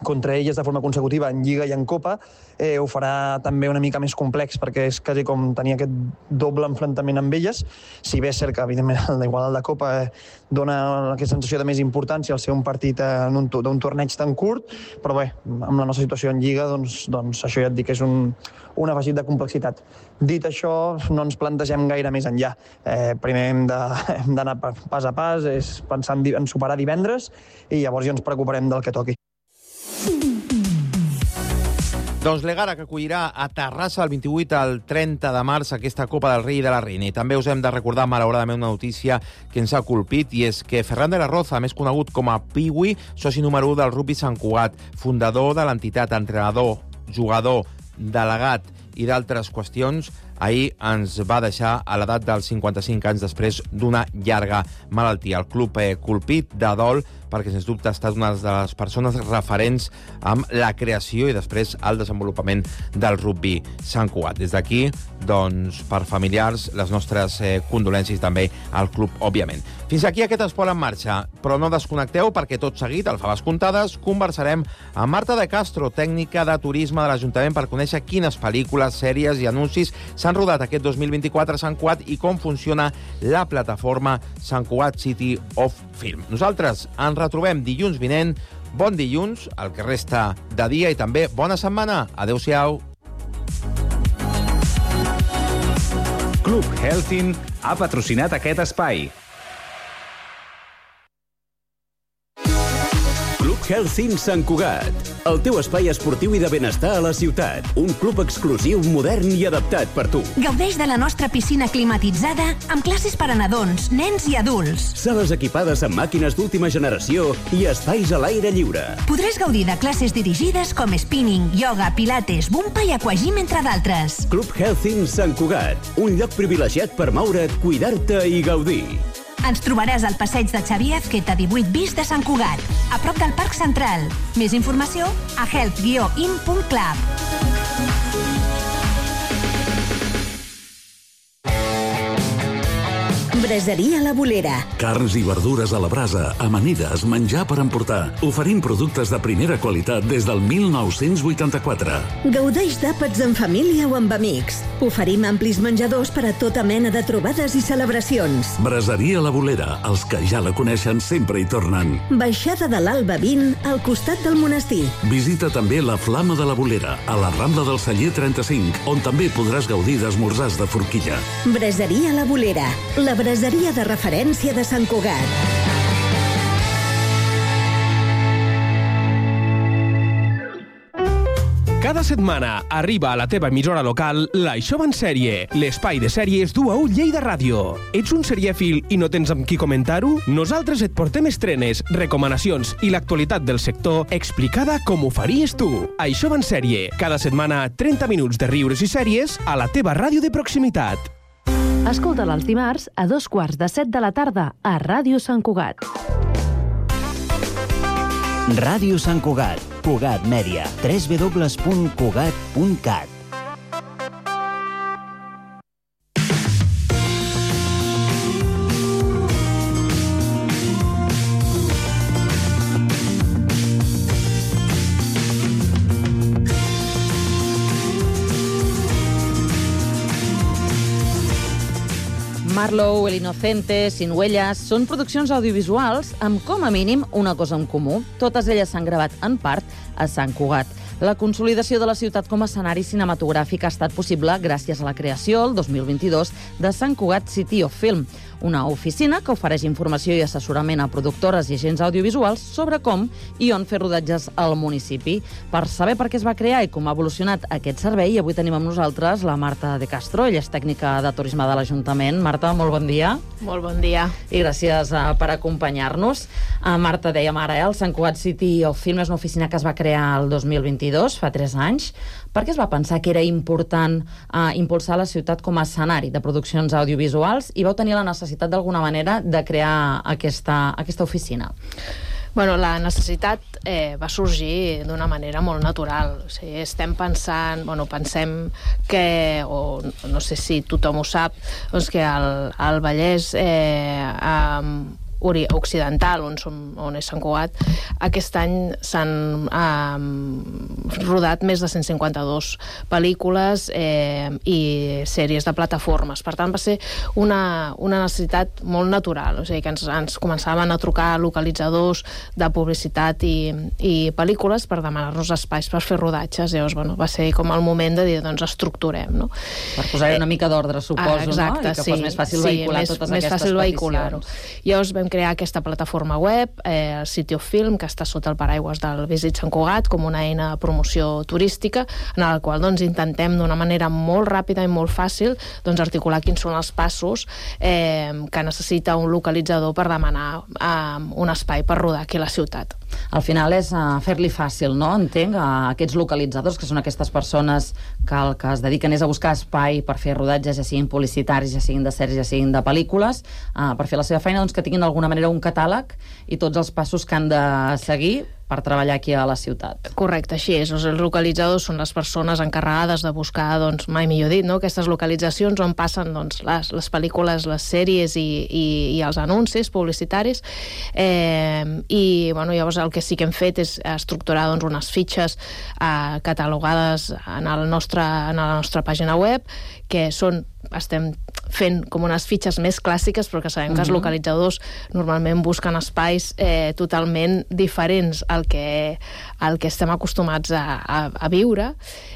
contra elles de forma consecutiva en Lliga i en Copa eh, ho farà també una mica més complex, perquè és quasi com tenir aquest doble enfrontament amb elles. Si bé és cert que, evidentment, igual el de Copa eh, dona aquesta sensació de més importància al ser un partit en un, d'un torneig tan curt, però bé, amb la nostra situació en Lliga, doncs, doncs això ja et dic que és un, un afegit de complexitat. Dit això, no ens plantegem gaire més enllà. Eh, primer hem de, hem d'anar pas a pas, és pensar en, en superar divendres, i llavors ja ens preocuparem del que toqui.
Doncs l'Egara, que acollirà a Terrassa el vint-i-vuit al trenta de març aquesta Copa del Rei i de la Reina. I també us hem de recordar, malauradament, una notícia que ens ha colpit, i és que Ferran de la Roza, més conegut com a Piwi, soci número u del Rugby Sant Cugat, fundador de l'entitat, entrenador, jugador, delegat i d'altres qüestions, ahir ens va deixar a l'edat dels cinquanta-cinc anys després d'una llarga malaltia. El club eh, colpit de dol, perquè sens dubte ha estat una de les persones referents amb la creació i després el desenvolupament del rugby Sant Cugat. Des d'aquí, doncs, per familiars, les nostres eh, condolències també al club, òbviament. Fins aquí aquest Esport en Marxa, però no desconnecteu, perquè tot seguit, al Faves Comptades, conversarem amb Marta de Castro, tècnica de turisme de l'Ajuntament, per conèixer quines pel·lícules, sèries i anuncis s'han rodat aquest dos mil vint-i-quatre a Sant Cugat i com funciona la plataforma Sant Cugat City of Film. Nosaltres ens retrobem dilluns vinent. Bon dilluns, el que resta de dia, i també bona setmana. Adéu-siau.
Club Healthin ha patrocinat aquest espai.
Club Healthin Sant Cugat, el teu espai esportiu i de benestar a la ciutat. Un club exclusiu, modern i adaptat per tu.
Gaudeix de la nostra piscina climatitzada amb classes per a nadons, nens i adults.
Sales equipades amb màquines d'última generació i espais a l'aire lliure.
Podràs gaudir de classes dirigides com spinning, yoga, pilates, bumpa i aquagym, entre d'altres.
Club Healthin Sant Cugat, un lloc privilegiat per moure't, cuidar-te i gaudir.
Ens trobaràs al passeig de Xavier Azqueta divuit bis de Sant Cugat, a prop del Parc Central. Més informació a health guió in punt club.
Braseria La Bolera.
Carns i verdures a la brasa, amanides, menjar per emportar. Oferim productes de primera qualitat des del mil nou-cents vuitanta-quatre.
Gaudeix d'àpats en família o amb amics. Oferim amplis menjadors per a tota mena de trobades i celebracions.
Braseria La Bolera. Els que ja la coneixen sempre hi tornen.
Baixada de l'Alba vint, al costat del monestir.
Visita també la Flama de la Bolera, a la Rambla del Celler trenta-cinc, on també podràs gaudir d'esmorzars de forquilla.
Braseria La Bolera. La braseria de referència de Sant Cugat.
Cada setmana arriba a la teva emissora local l'Això va en sèrie, l'espai de sèries d'U A U Lleida Ràdio. Ets un serièfil i no tens amb qui comentar-ho? Nosaltres et portem estrenes, recomanacions i l'actualitat del sector explicada com ho faries tu. Això va en sèrie, cada setmana trenta minuts de riures i sèries a la teva ràdio de proximitat.
Escolta-la els dimarts a dos quarts de set de la tarda a Ràdio Sant Cugat.
Ràdio Sant Cugat, Cugat Mèdia, w w w punt cugat punt cat.
Marlowe, El Inocente, Sin Huellas, són produccions audiovisuals amb, com a mínim, una cosa en comú. Totes elles s'han gravat en part a Sant Cugat. La consolidació de la ciutat com a escenari cinematogràfic ha estat possible gràcies a la creació, el dos mil vint-i-dos, de Sant Cugat City of Film, una oficina que ofereix informació i assessorament a productores i agents audiovisuals sobre com i on fer rodatges al municipi. Per saber per què es va crear i com ha evolucionat aquest servei, avui tenim amb nosaltres la Marta de Castro, ella és tècnica de turisme de l'Ajuntament. Marta, molt bon dia.
Molt bon dia.
I gràcies uh, per acompanyar-nos. Uh, Marta, dèiem ara, eh, el Sant Cugat City of Film és una oficina que es va crear el dos mil vint-i-dos, fa tres anys. Per què es va pensar que era important uh, impulsar la ciutat com a escenari de produccions audiovisuals i vau tenir la necessitat d'alguna manera de crear aquesta, aquesta oficina?
Bueno, la necessitat eh, va sorgir d'una manera molt natural. O sigui, estem pensant, bueno, pensem que, o no sé si tothom ho sap, doncs que el, el Vallès eh, eh, occidental, on, som, on és Sant Cugat, aquest any s'han eh, rodat més de cent cinquanta-dos pel·lícules eh, i sèries de plataformes. Per tant, va ser una, una necessitat molt natural. O sigui, que ens, ens començaven a trucar localitzadors de publicitat i, i pel·lícules per demanar-nos espais per fer rodatges. Llavors, bueno, va ser com el moment de dir, doncs, estructurem, no?
Per posar-hi una mica d'ordre, suposo,
exacte,
no? I que
sí,
fos més fàcil
sí,
vehicular
més,
totes
més
aquestes
fàcil
peticions.
Llavors vam crear aquesta plataforma web, eh, City of Film, que està sota el paraigües del Visit Sant Cugat, com una eina de promoció turística, en la qual doncs, intentem d'una manera molt ràpida i molt fàcil doncs, articular quins són els passos eh, que necessita un localitzador per demanar eh, un espai per rodar aquí a la ciutat.
Al final és uh, fer-li fàcil, no? Entenc, a aquests localitzadors, que són aquestes persones que el que es dediquen és a buscar espai per fer rodatges, ja siguin publicitaris, ja siguin de sèries, ja siguin de pel·lícules, uh, per fer la seva feina, doncs que tinguin d'alguna manera un catàleg i tots els passos que han de seguir per treballar aquí a la ciutat.
Correcte, així és. Els localitzadors són les persones encarregades de buscar, doncs, mai millor dit, no? Aquestes localitzacions on passen doncs, les, les pel·lícules, les sèries i, i, i els anuncis publicitaris. Eh, I bueno, llavors el que sí que hem fet és estructurar doncs, unes fitxes eh, catalogades en, el nostre, en la nostra pàgina web, que són, estem fent com unes fitxes més clàssiques, però que sabem que els localitzadors normalment busquen espais eh, totalment diferents al que, al que estem acostumats a, a, a viure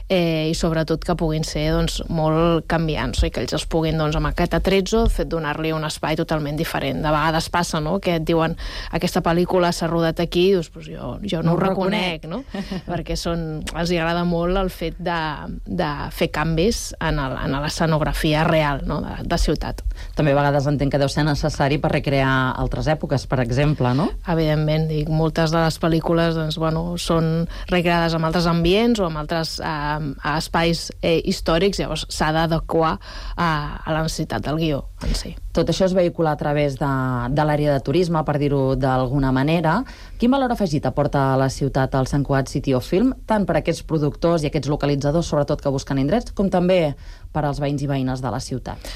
eh, i sobretot que puguin ser doncs, molt canviants, i que ells els puguin doncs, amb aquest atrezzo fet donar-li un espai totalment diferent. De vegades passa, no?, que et diuen aquesta pel·lícula s'ha rodat aquí, doncs, pues jo, jo no, no ho reconec, reconec no? Perquè són, els agrada molt el fet de, de fer canvis en, el, en l'escenografia real, no?, de, de ciutat.
També a vegades entenc que deu ser necessari per recrear altres èpoques, per exemple, no?
Evidentment, dic, moltes de les pel·lícules doncs, bueno, són recreades amb altres ambients o amb altres eh, espais eh, històrics, llavors s'ha d'adequar eh, a la necessitat del guió en si.
Tot això es vehicula a través de, de l'àrea de turisme, per dir-ho d'alguna manera. Quin valor afegit aporta a la ciutat el Sant Cugat City of Film, tant per a aquests productors i aquests localitzadors, sobretot que busquen indrets, com també per als veïns i veïnes de la ciutat?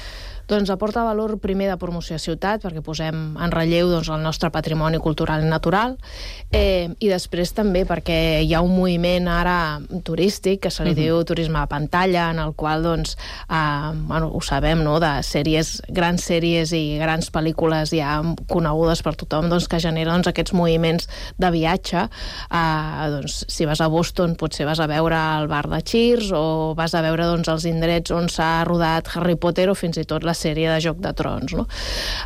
Doncs aporta valor primer de promoció a ciutat, perquè posem en relleu doncs, el nostre patrimoni cultural i natural, eh, i després també perquè hi ha un moviment ara turístic que se li uh-huh. diu turisme a pantalla, en el qual doncs, eh, bueno, ho sabem, no?, de sèries, grans sèries i grans pel·lícules ja conegudes per tothom, doncs, que generen doncs, aquests moviments de viatge. Eh, doncs, si vas a Boston potser vas a veure el bar de Cheers o vas a veure doncs, els indrets on s'ha rodat Harry Potter o fins i tot la sèrie de Joc de Trons, no?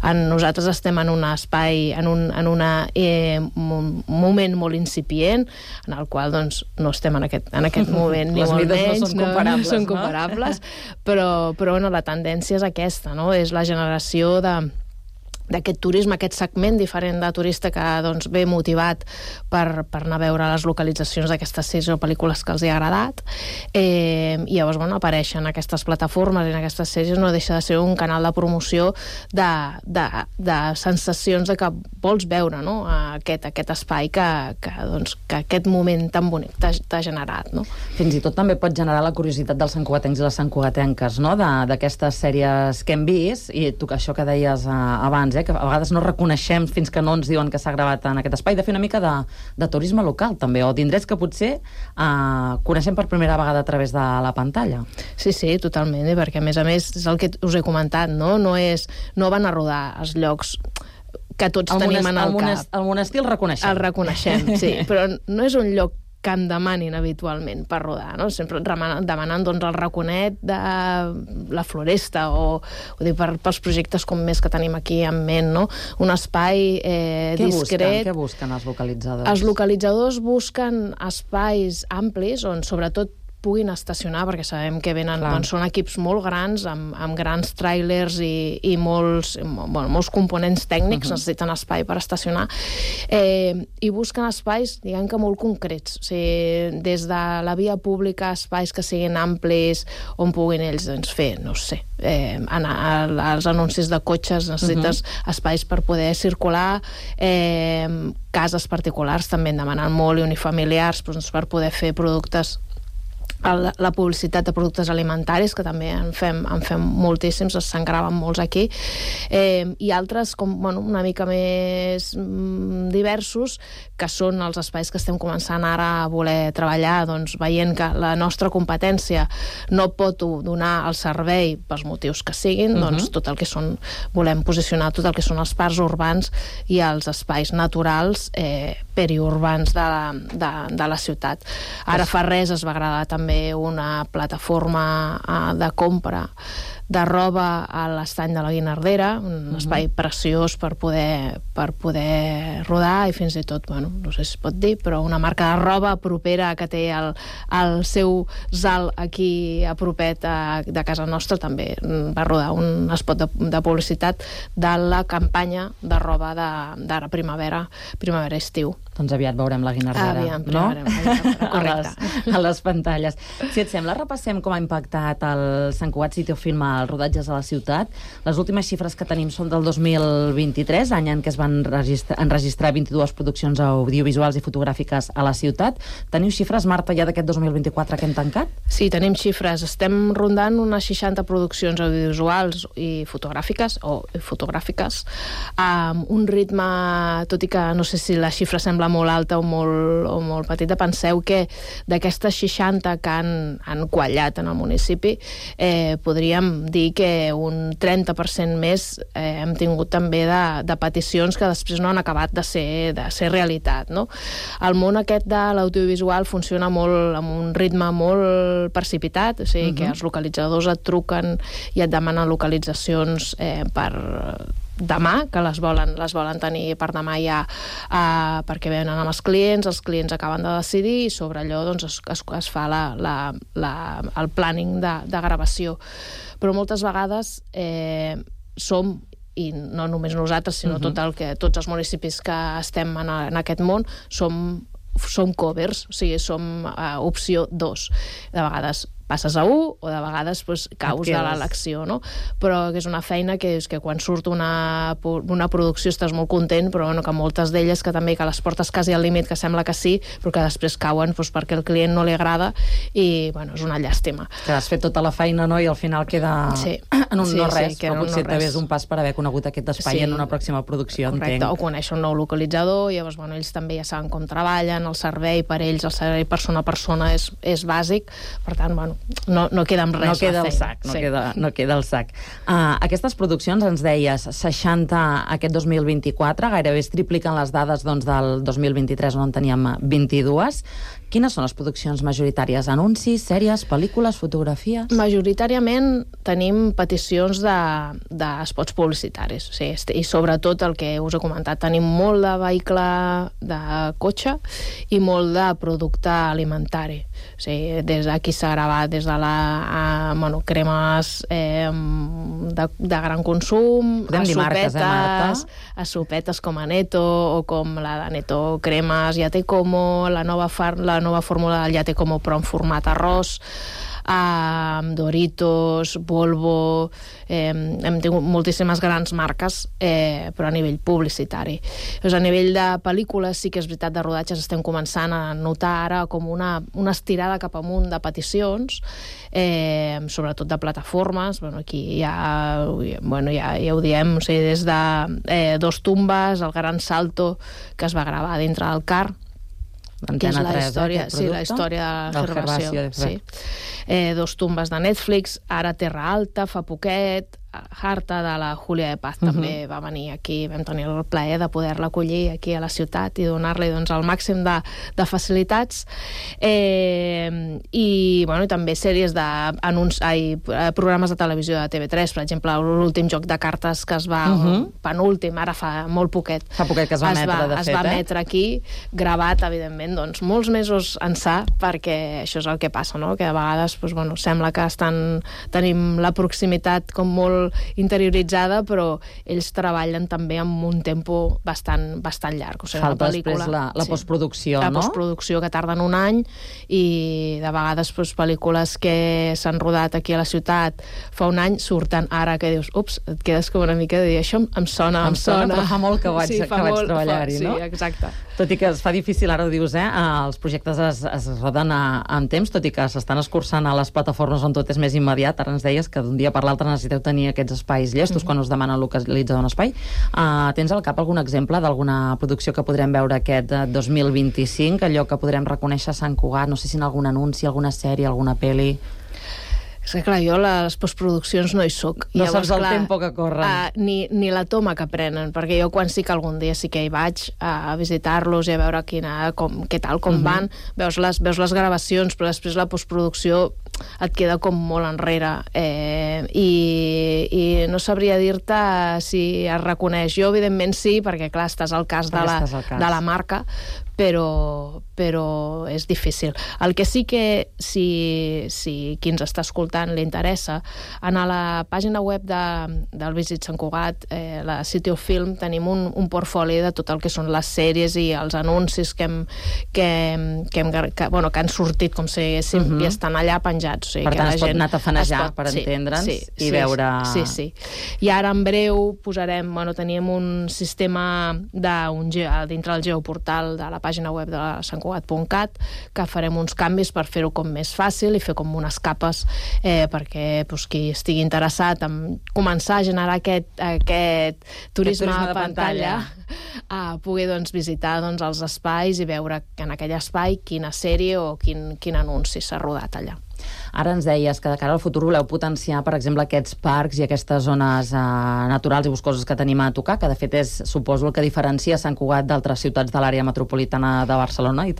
En, nosaltres estem en un espai, en un en una, eh, un moment molt incipient, en el qual doncs, no estem en aquest, en aquest moment ni molt menys,
no són comparables,
no, no són comparables no? però, però bueno, la tendència és aquesta, no? És la generació de d'aquest turisme, aquest segment diferent de turista que doncs, ve motivat per, per anar a veure les localitzacions d'aquestes sèries o pel·lícules que els hi ha agradat, eh, i llavors bueno, apareixen aquestes plataformes i en aquestes sèries no deixa de ser un canal de promoció de, de, de sensacions de que vols veure, no?, aquest, aquest espai que, que, doncs, que aquest moment tan bonic t'ha generat, no?
Fins i tot també pot generar la curiositat dels santcugatencs i les santcugatenques, no?, d'aquestes sèries que hem vist, i tu, això que deies uh, abans, eh, que a vegades no reconeixem fins que no ens diuen que s'ha gravat en aquest espai, de fer una mica de, de turisme local també, o d'indrets que potser eh, coneixem per primera vegada a través de la pantalla.
Sí, sí, totalment, eh, perquè a més a més és el que us he comentat, no? No, és, no van a rodar els llocs que tots
el
tenim
monest,
en el,
el
cap.
Monest, el monestir el reconeixem.
El reconeixem, sí, però no és un lloc que en demanin habitualment per rodar, no? Sempre demanant doncs, el raconet de la Floresta o, o dir, per, pels projectes com més que tenim aquí en ment, no? Un espai eh,
què
discret.
Busquen? Què busquen els localitzadors?
Els localitzadors busquen espais amplis on sobretot puguin estacionar, perquè sabem que venen, doncs, són equips molt grans, amb, amb grans tràilers i, i molts, bueno, molts components tècnics, uh-huh. necessiten espai per estacionar, eh, i busquen espais, diguem que molt concrets, o sigui, des de la via pública, espais que siguin amplis, on puguin ells doncs, fer, no sé, eh, anar als anuncis de cotxes, necessites uh-huh. espais per poder circular, eh, cases particulars també en demanen molt, i unifamiliars, doncs, per poder fer productes, la, la publicitat de productes alimentaris, que també en fem, en fem moltíssims, se'n graven molts aquí, eh, i altres com, bueno, una mica més mm, diversos, que són els espais que estem començant ara a voler treballar, doncs veient que la nostra competència no pot donar el servei pels motius que siguin, uh-huh. doncs tot el que són, volem posicionar tot el que són els parcs urbans i els espais naturals eh, periurbans de la, de, de la ciutat. Ara fa res es va agradar també una plataforma uh, de compra de roba a l'estany de la Guinardera, un uh-huh. espai preciós per poder, per poder rodar, i fins i tot, bueno, no sé si es pot dir, però una marca de roba propera que té el, el seu Zal aquí a propet a, de casa nostra també va rodar un spot de, de publicitat de la campanya de roba de, de primavera, primavera-estiu.
Doncs aviat veurem la Guinardera,
aviat,
no?
Correcte.
A les, a les pantalles. Si et sembla, repassem com ha impactat el Sant Cugat City of Film als rodatges a la ciutat. Les últimes xifres que tenim són del dos mil vint-i-tres, any en què es van enregistrar, enregistrar vint-i-dues produccions audiovisuals i fotogràfiques a la ciutat. Teniu xifres, Marta, ja d'aquest dos mil vint-i-quatre que hem tancat?
Sí, tenim xifres. Estem rondant unes seixanta produccions audiovisuals i fotogràfiques, o fotogràfiques, amb un ritme, tot i que no sé si la xifra sembla molt alta o molt, o molt petita, penseu que d'aquestes seixanta que han, han quallat en el municipi, eh, podríem dir que un trenta per cent més eh, hem tingut també de, de peticions que després no han acabat de ser, de ser realitat, no? El món aquest de l'audiovisual funciona molt amb un ritme molt precipitat, o sigui, uh-huh. que els localitzadors et truquen i et demanen localitzacions eh, per demà, que les volen, les volen tenir per demà ja, uh, perquè venen amb els clients, els clients acaben de decidir i sobre allò doncs, es, es, es fa la, la, la, el planning de, de gravació. Però moltes vegades eh, som, i no només nosaltres, sinó uh-huh. tot el que, tots els municipis que estem en, en aquest món, som, som covers, o sigui, som uh, opció dos. De vegades passes a u, o de vegades pues, caus de l'elecció, no? Però que és una feina que, és que quan surt una, una producció estàs molt content, però bueno, que moltes d'elles que també que les portes quasi al límit, que sembla que sí, però que després cauen pues, perquè el client no li agrada i bueno, és una llàstima.
Que has fet tota la feina, no?, i al final queda
sí.
en un
sí,
no res,
sí,
però
no
potser
no
també és un pas per haver conegut aquest espai sí. en una pròxima producció,
correcte,
entenc.
O conèixer un nou localitzador, i llavors bueno, ells també ja saben com treballen, el servei per ells, el servei persona a persona és, és bàsic, per tant, bueno, no, no queda amb res.
No queda el sac, no, sí. queda, no queda el sac. Uh, aquestes produccions, ens deies, seixanta aquest dos mil vint-i-quatre, gairebé es tripliquen les dades doncs, del dos mil vint-i-tres, on en teníem vint-i-dues. Quines són les produccions majoritàries? Anuncis, sèries, pel·lícules, fotografies?
Majoritàriament tenim peticions de, de spots publicitaris, o sigui, i sobretot el que us he comentat, tenim molt de vehicle de cotxe i molt de producte alimentari. O sigui, des d'aquí s'ha gravat des de la a, bueno, cremes eh, de, de gran consum,
podem
a
dir marques,
sopetes,
eh, Marta?
a sopetes com a Neto o com la de Neto Cremes, ja té como, la nova, far, la nova fórmula del ja té como però en format arròs, Uh, Doritos, Volvo, eh, hem tingut moltíssimes grans marques, eh, però a nivell publicitari. Doncs a nivell de pel·lícules sí que és veritat, de rodatges estem començant a notar ara com una, una estirada cap amunt de peticions, eh, sobretot de plataformes. Bueno, aquí ja, bueno, ja, ja ho diem, o sigui, des de eh, Dos Tumbes, El Gran Salto, que es va gravar dintre del car, que és la
tres,
història,
eh,
sí, la història de la Gervasio, sí. Eh, Dos Tumbes de Netflix, ara Terra Alta, fa poquet, Harta, de la Júlia de Paz, també uh -huh. va venir aquí, vam tenir el plaer de poder-la acollir aquí a la ciutat i donar-li doncs, el màxim de, de facilitats. Eh, i, bueno, i també sèries de anunci, ai, programes de televisió de T V tres, per exemple, l'últim joc de cartes que es va, uh -huh. penúltim, ara fa molt poquet.
Fa poquet que es va
es
emetre,
va,
de
es
fet,
va
eh?
emetre aquí, gravat, evidentment, doncs, molts mesos ençà, perquè això és el que passa, no? Que a vegades doncs, bueno, sembla que estan, tenim la proximitat com molt interioritzada, però ells treballen també amb un tempo bastant, bastant llarg. O sigui,
falta
pel·lícula,
després la, la
sí,
postproducció,
la
no?
La postproducció, que tarden un any, i de vegades doncs, pel·lícules que s'han rodat aquí a la ciutat fa un any, surten ara, que dius, ups, et quedes com una mica de dir, això em sona, em,
Em sona,
sona.
però fa molt que vaig,
sí,
que vaig
molt,
treballar-hi,
fa,
no?
Sí, exacte.
Tot i que es fa difícil, ara ho dius, eh? Els projectes es, es roden a, en temps, tot i que s'estan escurçant a les plataformes on tot és més immediat. Ara ens deies que d'un dia per l'altre necessiteu tenir aquests espais llestos mm-hmm. quan us demanen localitzar un espai. Uh, tens al cap algun exemple d'alguna producció que podrem veure aquest dos mil vint-i-cinc, allò que podrem reconèixer a Sant Cugat, no sé si en algun anunci, alguna sèrie, alguna pel·li...
És que, clar, jo a les postproduccions no hi soc.
No Llavors, saps el clar, tempo que corren.
Uh, ni, ni la toma que prenen, perquè jo quan sí que algun dia sí que hi vaig a visitar-los i a veure quina, com, què tal, com uh-huh. van, veus les, veus les gravacions, però després la postproducció et queda com molt enrere. Eh, i, I no sabria dir-te si es reconeix. Jo, evidentment, sí, perquè, clar, estàs al cas, de la,
cas.
de la marca, però, però és difícil. El que sí que, si, si qui ens està escoltant li interessa, en la pàgina web de, del Visit Sant Cugat, eh, la City of Film, tenim un, un portfoli de tot el que són les sèries i els anuncis que, hem, que, que, hem, que, bueno, que han sortit, com si diguéssim, uh-huh. i estan allà penjats. O sigui,
per
que
tant,
la
es pot
gent
anar tafanejar,
pot,
per
sí,
entendre'ns,
sí,
i
sí,
veure...
Sí, sí. I ara, en breu, posarem... Bueno, teníem un sistema de, un, dintre del geoportal de la pàgina web de santcugat punt cat, que farem uns canvis per fer-ho com més fàcil i fer com unes capes eh, perquè pues, qui estigui interessat en començar a generar aquest, aquest turisme,
turisme
a pantalla, a poder doncs, visitar doncs, els espais i veure en aquell espai quina sèrie o quin, quin anunci s'ha rodat allà.
Ara ens deies que de cara al futur voleu potenciar, per exemple, aquests parcs i aquestes zones eh, naturals i boscoses que tenim a tocar, que de fet és, suposo, el que diferencia Sant Cugat d'altres ciutats de l'àrea metropolitana de Barcelona, i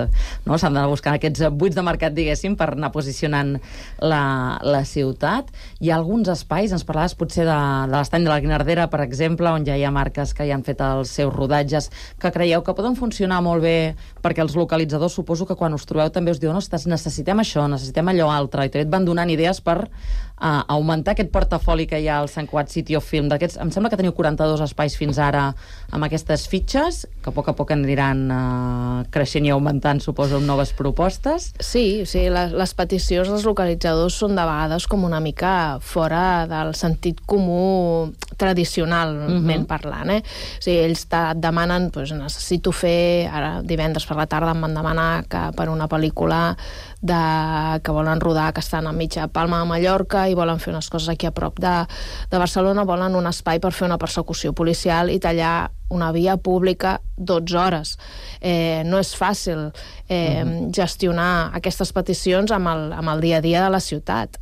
no? S'han d'anar buscant aquests buits de mercat, diguéssim, per anar posicionant la, la ciutat. Hi ha alguns espais, ens parlaves potser de, de l'estany de la Guinardera, per exemple, on ja hi ha marques que ja han fet els seus rodatges, que creieu que poden funcionar molt bé, perquè els localitzadors, suposo que quan us trobeu també us diuen, ostres, necessitem això, necessitem allò altre, i també et van donant idees per uh, augmentar aquest portafoli que hi ha al Sant Cugat City of Film. Em sembla que teniu quaranta-dos espais fins ara amb aquestes fitxes, que a poc a poc aniran uh, creixent i augmentant, suposo, amb noves propostes.
Sí, o sigui, les, les peticions dels localitzadors són de vegades com una mica fora del sentit comú tradicionalment uh-huh. parlant. Eh? O sigui, ells et demanen, doncs, necessito fer, ara divendres per la tarda em van demanar que per una pel·lícula de, que volen rodar, que estan a mitja Palma de Mallorca i volen fer unes coses aquí a prop de, de Barcelona, volen un espai per fer una persecució policial i tallar una via pública dotze hores. Eh, no és fàcil eh, uh-huh. gestionar aquestes peticions amb el, amb el dia a dia de la ciutat.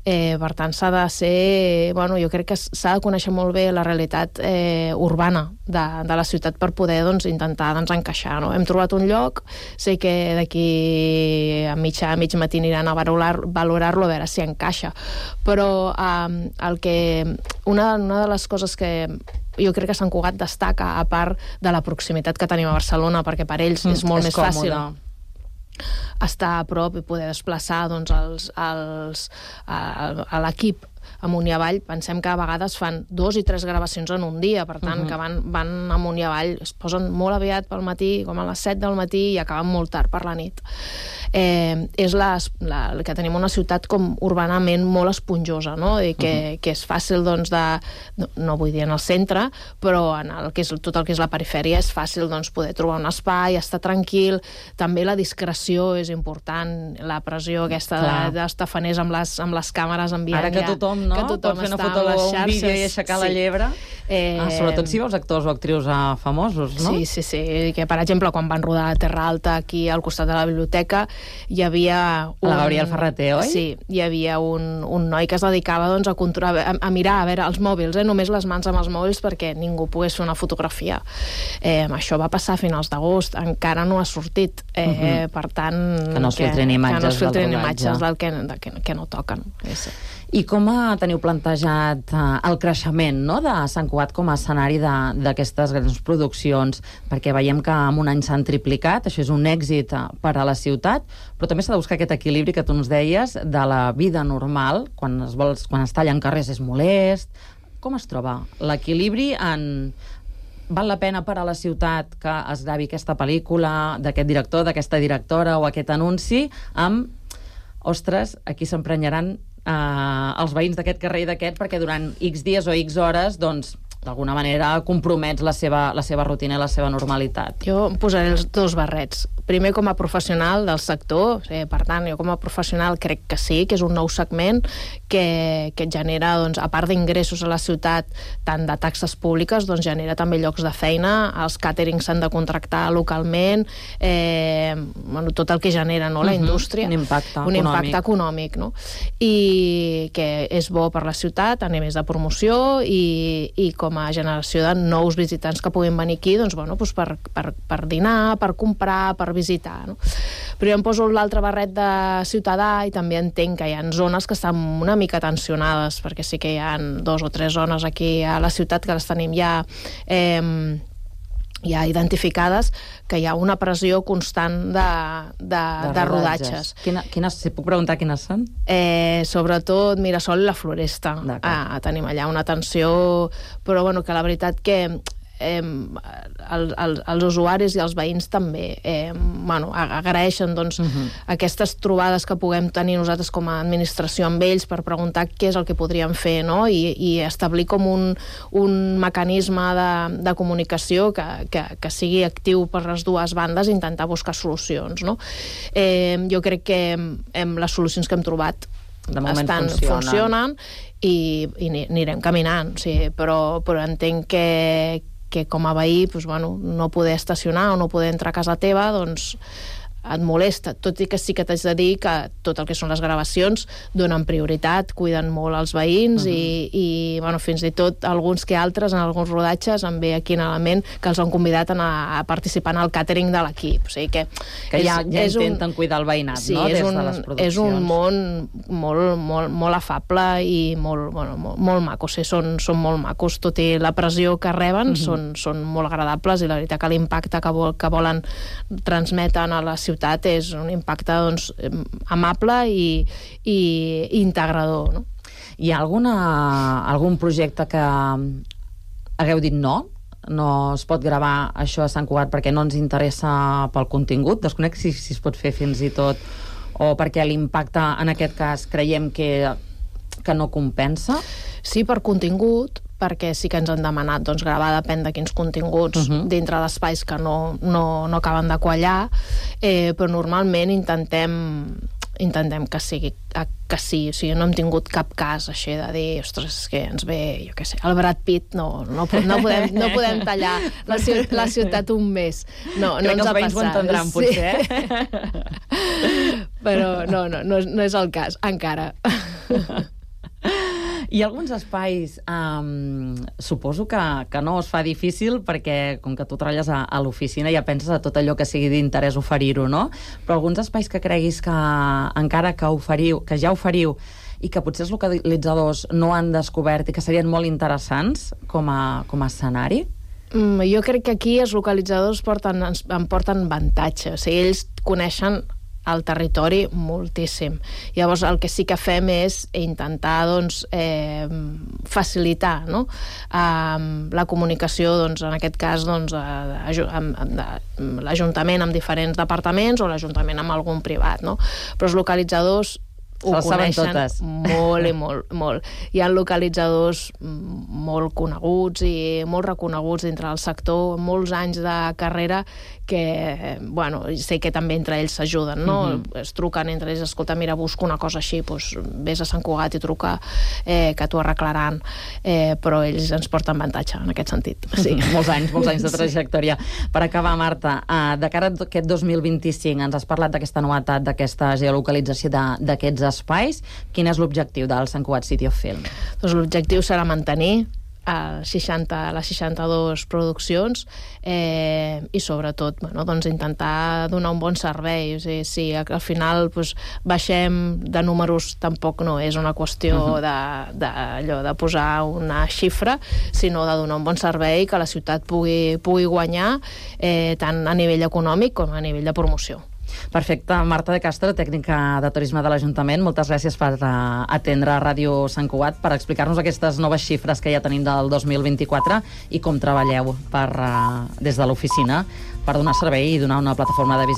Eh, per tant, s'ha de ser... Bueno, jo crec que s'ha de conèixer molt bé la realitat eh, urbana de, de la ciutat per poder doncs, intentar doncs, encaixar. No? Hem trobat un lloc, sé que d'aquí a mitja, a mig matí aniran a valorar-lo valorar a veure si encaixa. Però eh, el que, una, una de les coses que jo crec que Sant Cugat destaca, a part de la proximitat que tenim a Barcelona, perquè per ells mm, és molt és més còmode. Fàcil estar a prop i poder desplaçar doncs, els, els, a, a l'equip amunt i avall. Pensem que a vegades fan dos i tres gravacions en un dia, per tant, uh-huh. que van, van amunt i avall, es posen molt aviat pel matí, com a les set del matí, i acaben molt tard per la nit. Eh, és la, la, que tenim una ciutat com urbanament molt esponjosa, no? I que, uh-huh. que és fàcil, doncs, de... No, no vull dir en el centre, però en el que és, tot el que és la perifèria és fàcil, doncs, poder trobar un espai, estar tranquil. També la discreció és important, la pressió aquesta de, dels tafaners amb les, amb les càmeres enviant
ara que tothom, no?
que tothom
pot fer una
està
foto
a les
o un
xarxes,
vídeo i aixecar
sí.
la llebre.
Eh...
Ah, sobretot si veus actors o actrius ah, famosos, no?
Sí, sí, sí. Que, per exemple, quan van rodar a Terra Alta aquí al costat de la biblioteca, hi havia... Un...
La Gabriel Ferreter, oi?
Sí, hi havia un, un noi que es dedicava doncs, a, controlar, a, a mirar, a veure, els mòbils, eh? només les mans amb els mòbils perquè ningú pogués fer una fotografia. Eh, això va passar a finals d'agost, encara no ha sortit. Eh, uh-huh. Per tant...
Que no es filtrin imatges,
que no es filtrin
del
imatges del que, del que, que no toquen. Sí.
I com teniu plantejat uh, el creixement, no?, de Sant Cugat com a escenari d'aquestes grans produccions? Perquè veiem que en un any s'han triplicat, això és un èxit uh, per a la ciutat, però també s'ha de buscar aquest equilibri que tu ens deies de la vida normal, quan es, vols, quan es tallen carrers és molest. Com es troba l'equilibri en... Val la pena per a la ciutat que es gravi aquesta pel·lícula d'aquest director, d'aquesta directora o aquest anunci amb, ostres, aquí s'emprenyaran Uh, els veïns d'aquest carrer i d'aquest perquè durant X dies o X hores doncs d'alguna manera compromets la seva, la seva rutina i la seva normalitat.
Jo em posaré els dos barrets. Primer, com a professional del sector, eh, per tant, jo com a professional crec que sí, que és un nou segment que, que genera, doncs, a part d'ingressos a la ciutat, tant de taxes públiques, doncs genera també llocs de feina, els càterings s'han de contractar localment, eh, bueno, tot el que genera, no?, la
uh-huh.
indústria.
Un impacte
un
econòmic.
impacte econòmic, no? I que és bo per la ciutat a nivell de promoció i, i com a generació de nous visitants que puguin venir aquí, doncs, bueno, doncs per, per, per dinar, per comprar, per visitar, no? Però jo em poso l'altre barret de ciutadà i també entenc que hi ha zones que estan una mica tensionades, perquè sí que hi ha dos o tres zones aquí a la ciutat que les tenim ja eh, ja identificades, que hi ha una pressió constant de, de, de, de rodatges.
Quina, quines, si puc preguntar quines són?
Eh, sobretot Mirasol i la Floresta. Ah, tenim allà una tensió, però bueno, que la veritat que eh, el, el, els usuaris i els veïns també eh, bueno, agraeixen doncs, uh-huh. aquestes trobades que puguem tenir nosaltres com a administració amb ells per preguntar què és el que podríem fer, no? I, i establir com un, un mecanisme de, de comunicació que, que, que sigui actiu per les dues bandes i intentar buscar solucions, no? Eh, jo crec que hem, les solucions que hem trobat
de moment
estan,
funcionen,
funcionen i, i anirem caminant, sí, però, però entenc que que com a veí, doncs, bueno, no poder estacionar o no poder entrar a casa teva, doncs et molesta, tot i que sí que t'haig de dir que tot el que són les gravacions donen prioritat, cuiden molt els veïns uh-huh. i, i bueno, fins i tot alguns que altres, en alguns rodatges em ve aquí en element que els han convidat a, anar a participar en el càtering de l'equip, o sigui que,
que ja,
és,
ja
és
intenten un, cuidar el veïnat,
sí,
no?
Des
Des
un,
de les produccions.
És un món molt, molt, molt, molt afable i molt, bueno, molt, molt maco, o sigui, són, són molt macos, tot i la pressió que reben uh-huh. són, són molt agradables i la veritat que l'impacte que, vol, que volen transmeten a la ciutat és un impacte doncs, amable i, i integrador, no?
Hi ha alguna, algun projecte que hagueu dit no? No es pot gravar això a Sant Cugat perquè no ens interessa pel contingut? Desconec si, si es pot fer fins i tot, o perquè l'impacte en aquest cas creiem que, que no compensa?
Sí, per contingut, perquè sí que ens han demanat doncs, gravar depèn de quins continguts uh-huh. dintre d'espais que no, no, no acaben de quallar, eh, però normalment intentem intentem que sigui que sí, o sigui, no hem tingut cap cas així de dir, ostres, és que ens ve, jo què sé, el Brad Pitt, no, no, no, podem, no podem tallar la, ciutat, la ciutat un mes. No, no ens ha passat.
Crec que els veïns ho entendran, potser,
eh? Però no, no, no, no és el cas, encara.
Hi ha alguns espais, um, suposo que, que no es fa difícil perquè com que tu treballes a, a l'oficina ja penses a tot allò que sigui d'interès oferir-ho, no? Però alguns espais que creguis que encara que oferiu, que ja oferiu i que potser els localitzadors no han descobert i que serien molt interessants com a, com a escenari?
Mm, jo crec que aquí els localitzadors porten, ens, en porten avantatge, o sigui, ells coneixen al territori moltíssim. Llavors el que sí que fem és intentar doncs, eh, facilitar, no? eh, la comunicació, doncs, en aquest cas doncs, l'Ajuntament amb diferents departaments o l'Ajuntament amb algun privat, no? Però els localitzadors
Se les saben totes.
molt i molt, molt. Hi ha localitzadors molt coneguts i molt reconeguts dintre del sector, molts anys de carrera, que, bueno, sé que també entre ells s'ajuden, no? Uh-huh. Es truquen entre ells, escolta, mira, busco una cosa així, doncs vés a Sant Cugat i truca, eh, que t'ho arreglaran, eh, però ells ens porten avantatge en aquest sentit.
Sí, molts anys, molts anys de trajectòria. Per acabar, Marta, eh, de cara a aquest dos mil vint-i-cinc, ens has parlat d'aquesta novetat, d'aquesta geolocalització d'aquests espais. Quin és l'objectiu del Sant Cugat City of Film?
Doncs l'objectiu serà mantenir a seixanta, les seixanta-dues produccions eh, i sobretot bueno, doncs intentar donar un bon servei. O sigui, si al final doncs, baixem de números, tampoc no és una qüestió uh-huh. de, de, allò, de posar una xifra, sinó de donar un bon servei que la ciutat pugui, pugui guanyar eh, tant a nivell econòmic com a nivell de promoció.
Perfecte. Marta de Castro, tècnica de turisme de l'Ajuntament, moltes gràcies per uh, atendre Ràdio Sant Cugat, per explicar-nos aquestes noves xifres que ja tenim del dos mil vint-i-quatre i com treballeu per, uh, des de l'oficina per donar servei i donar una plataforma de visibilitat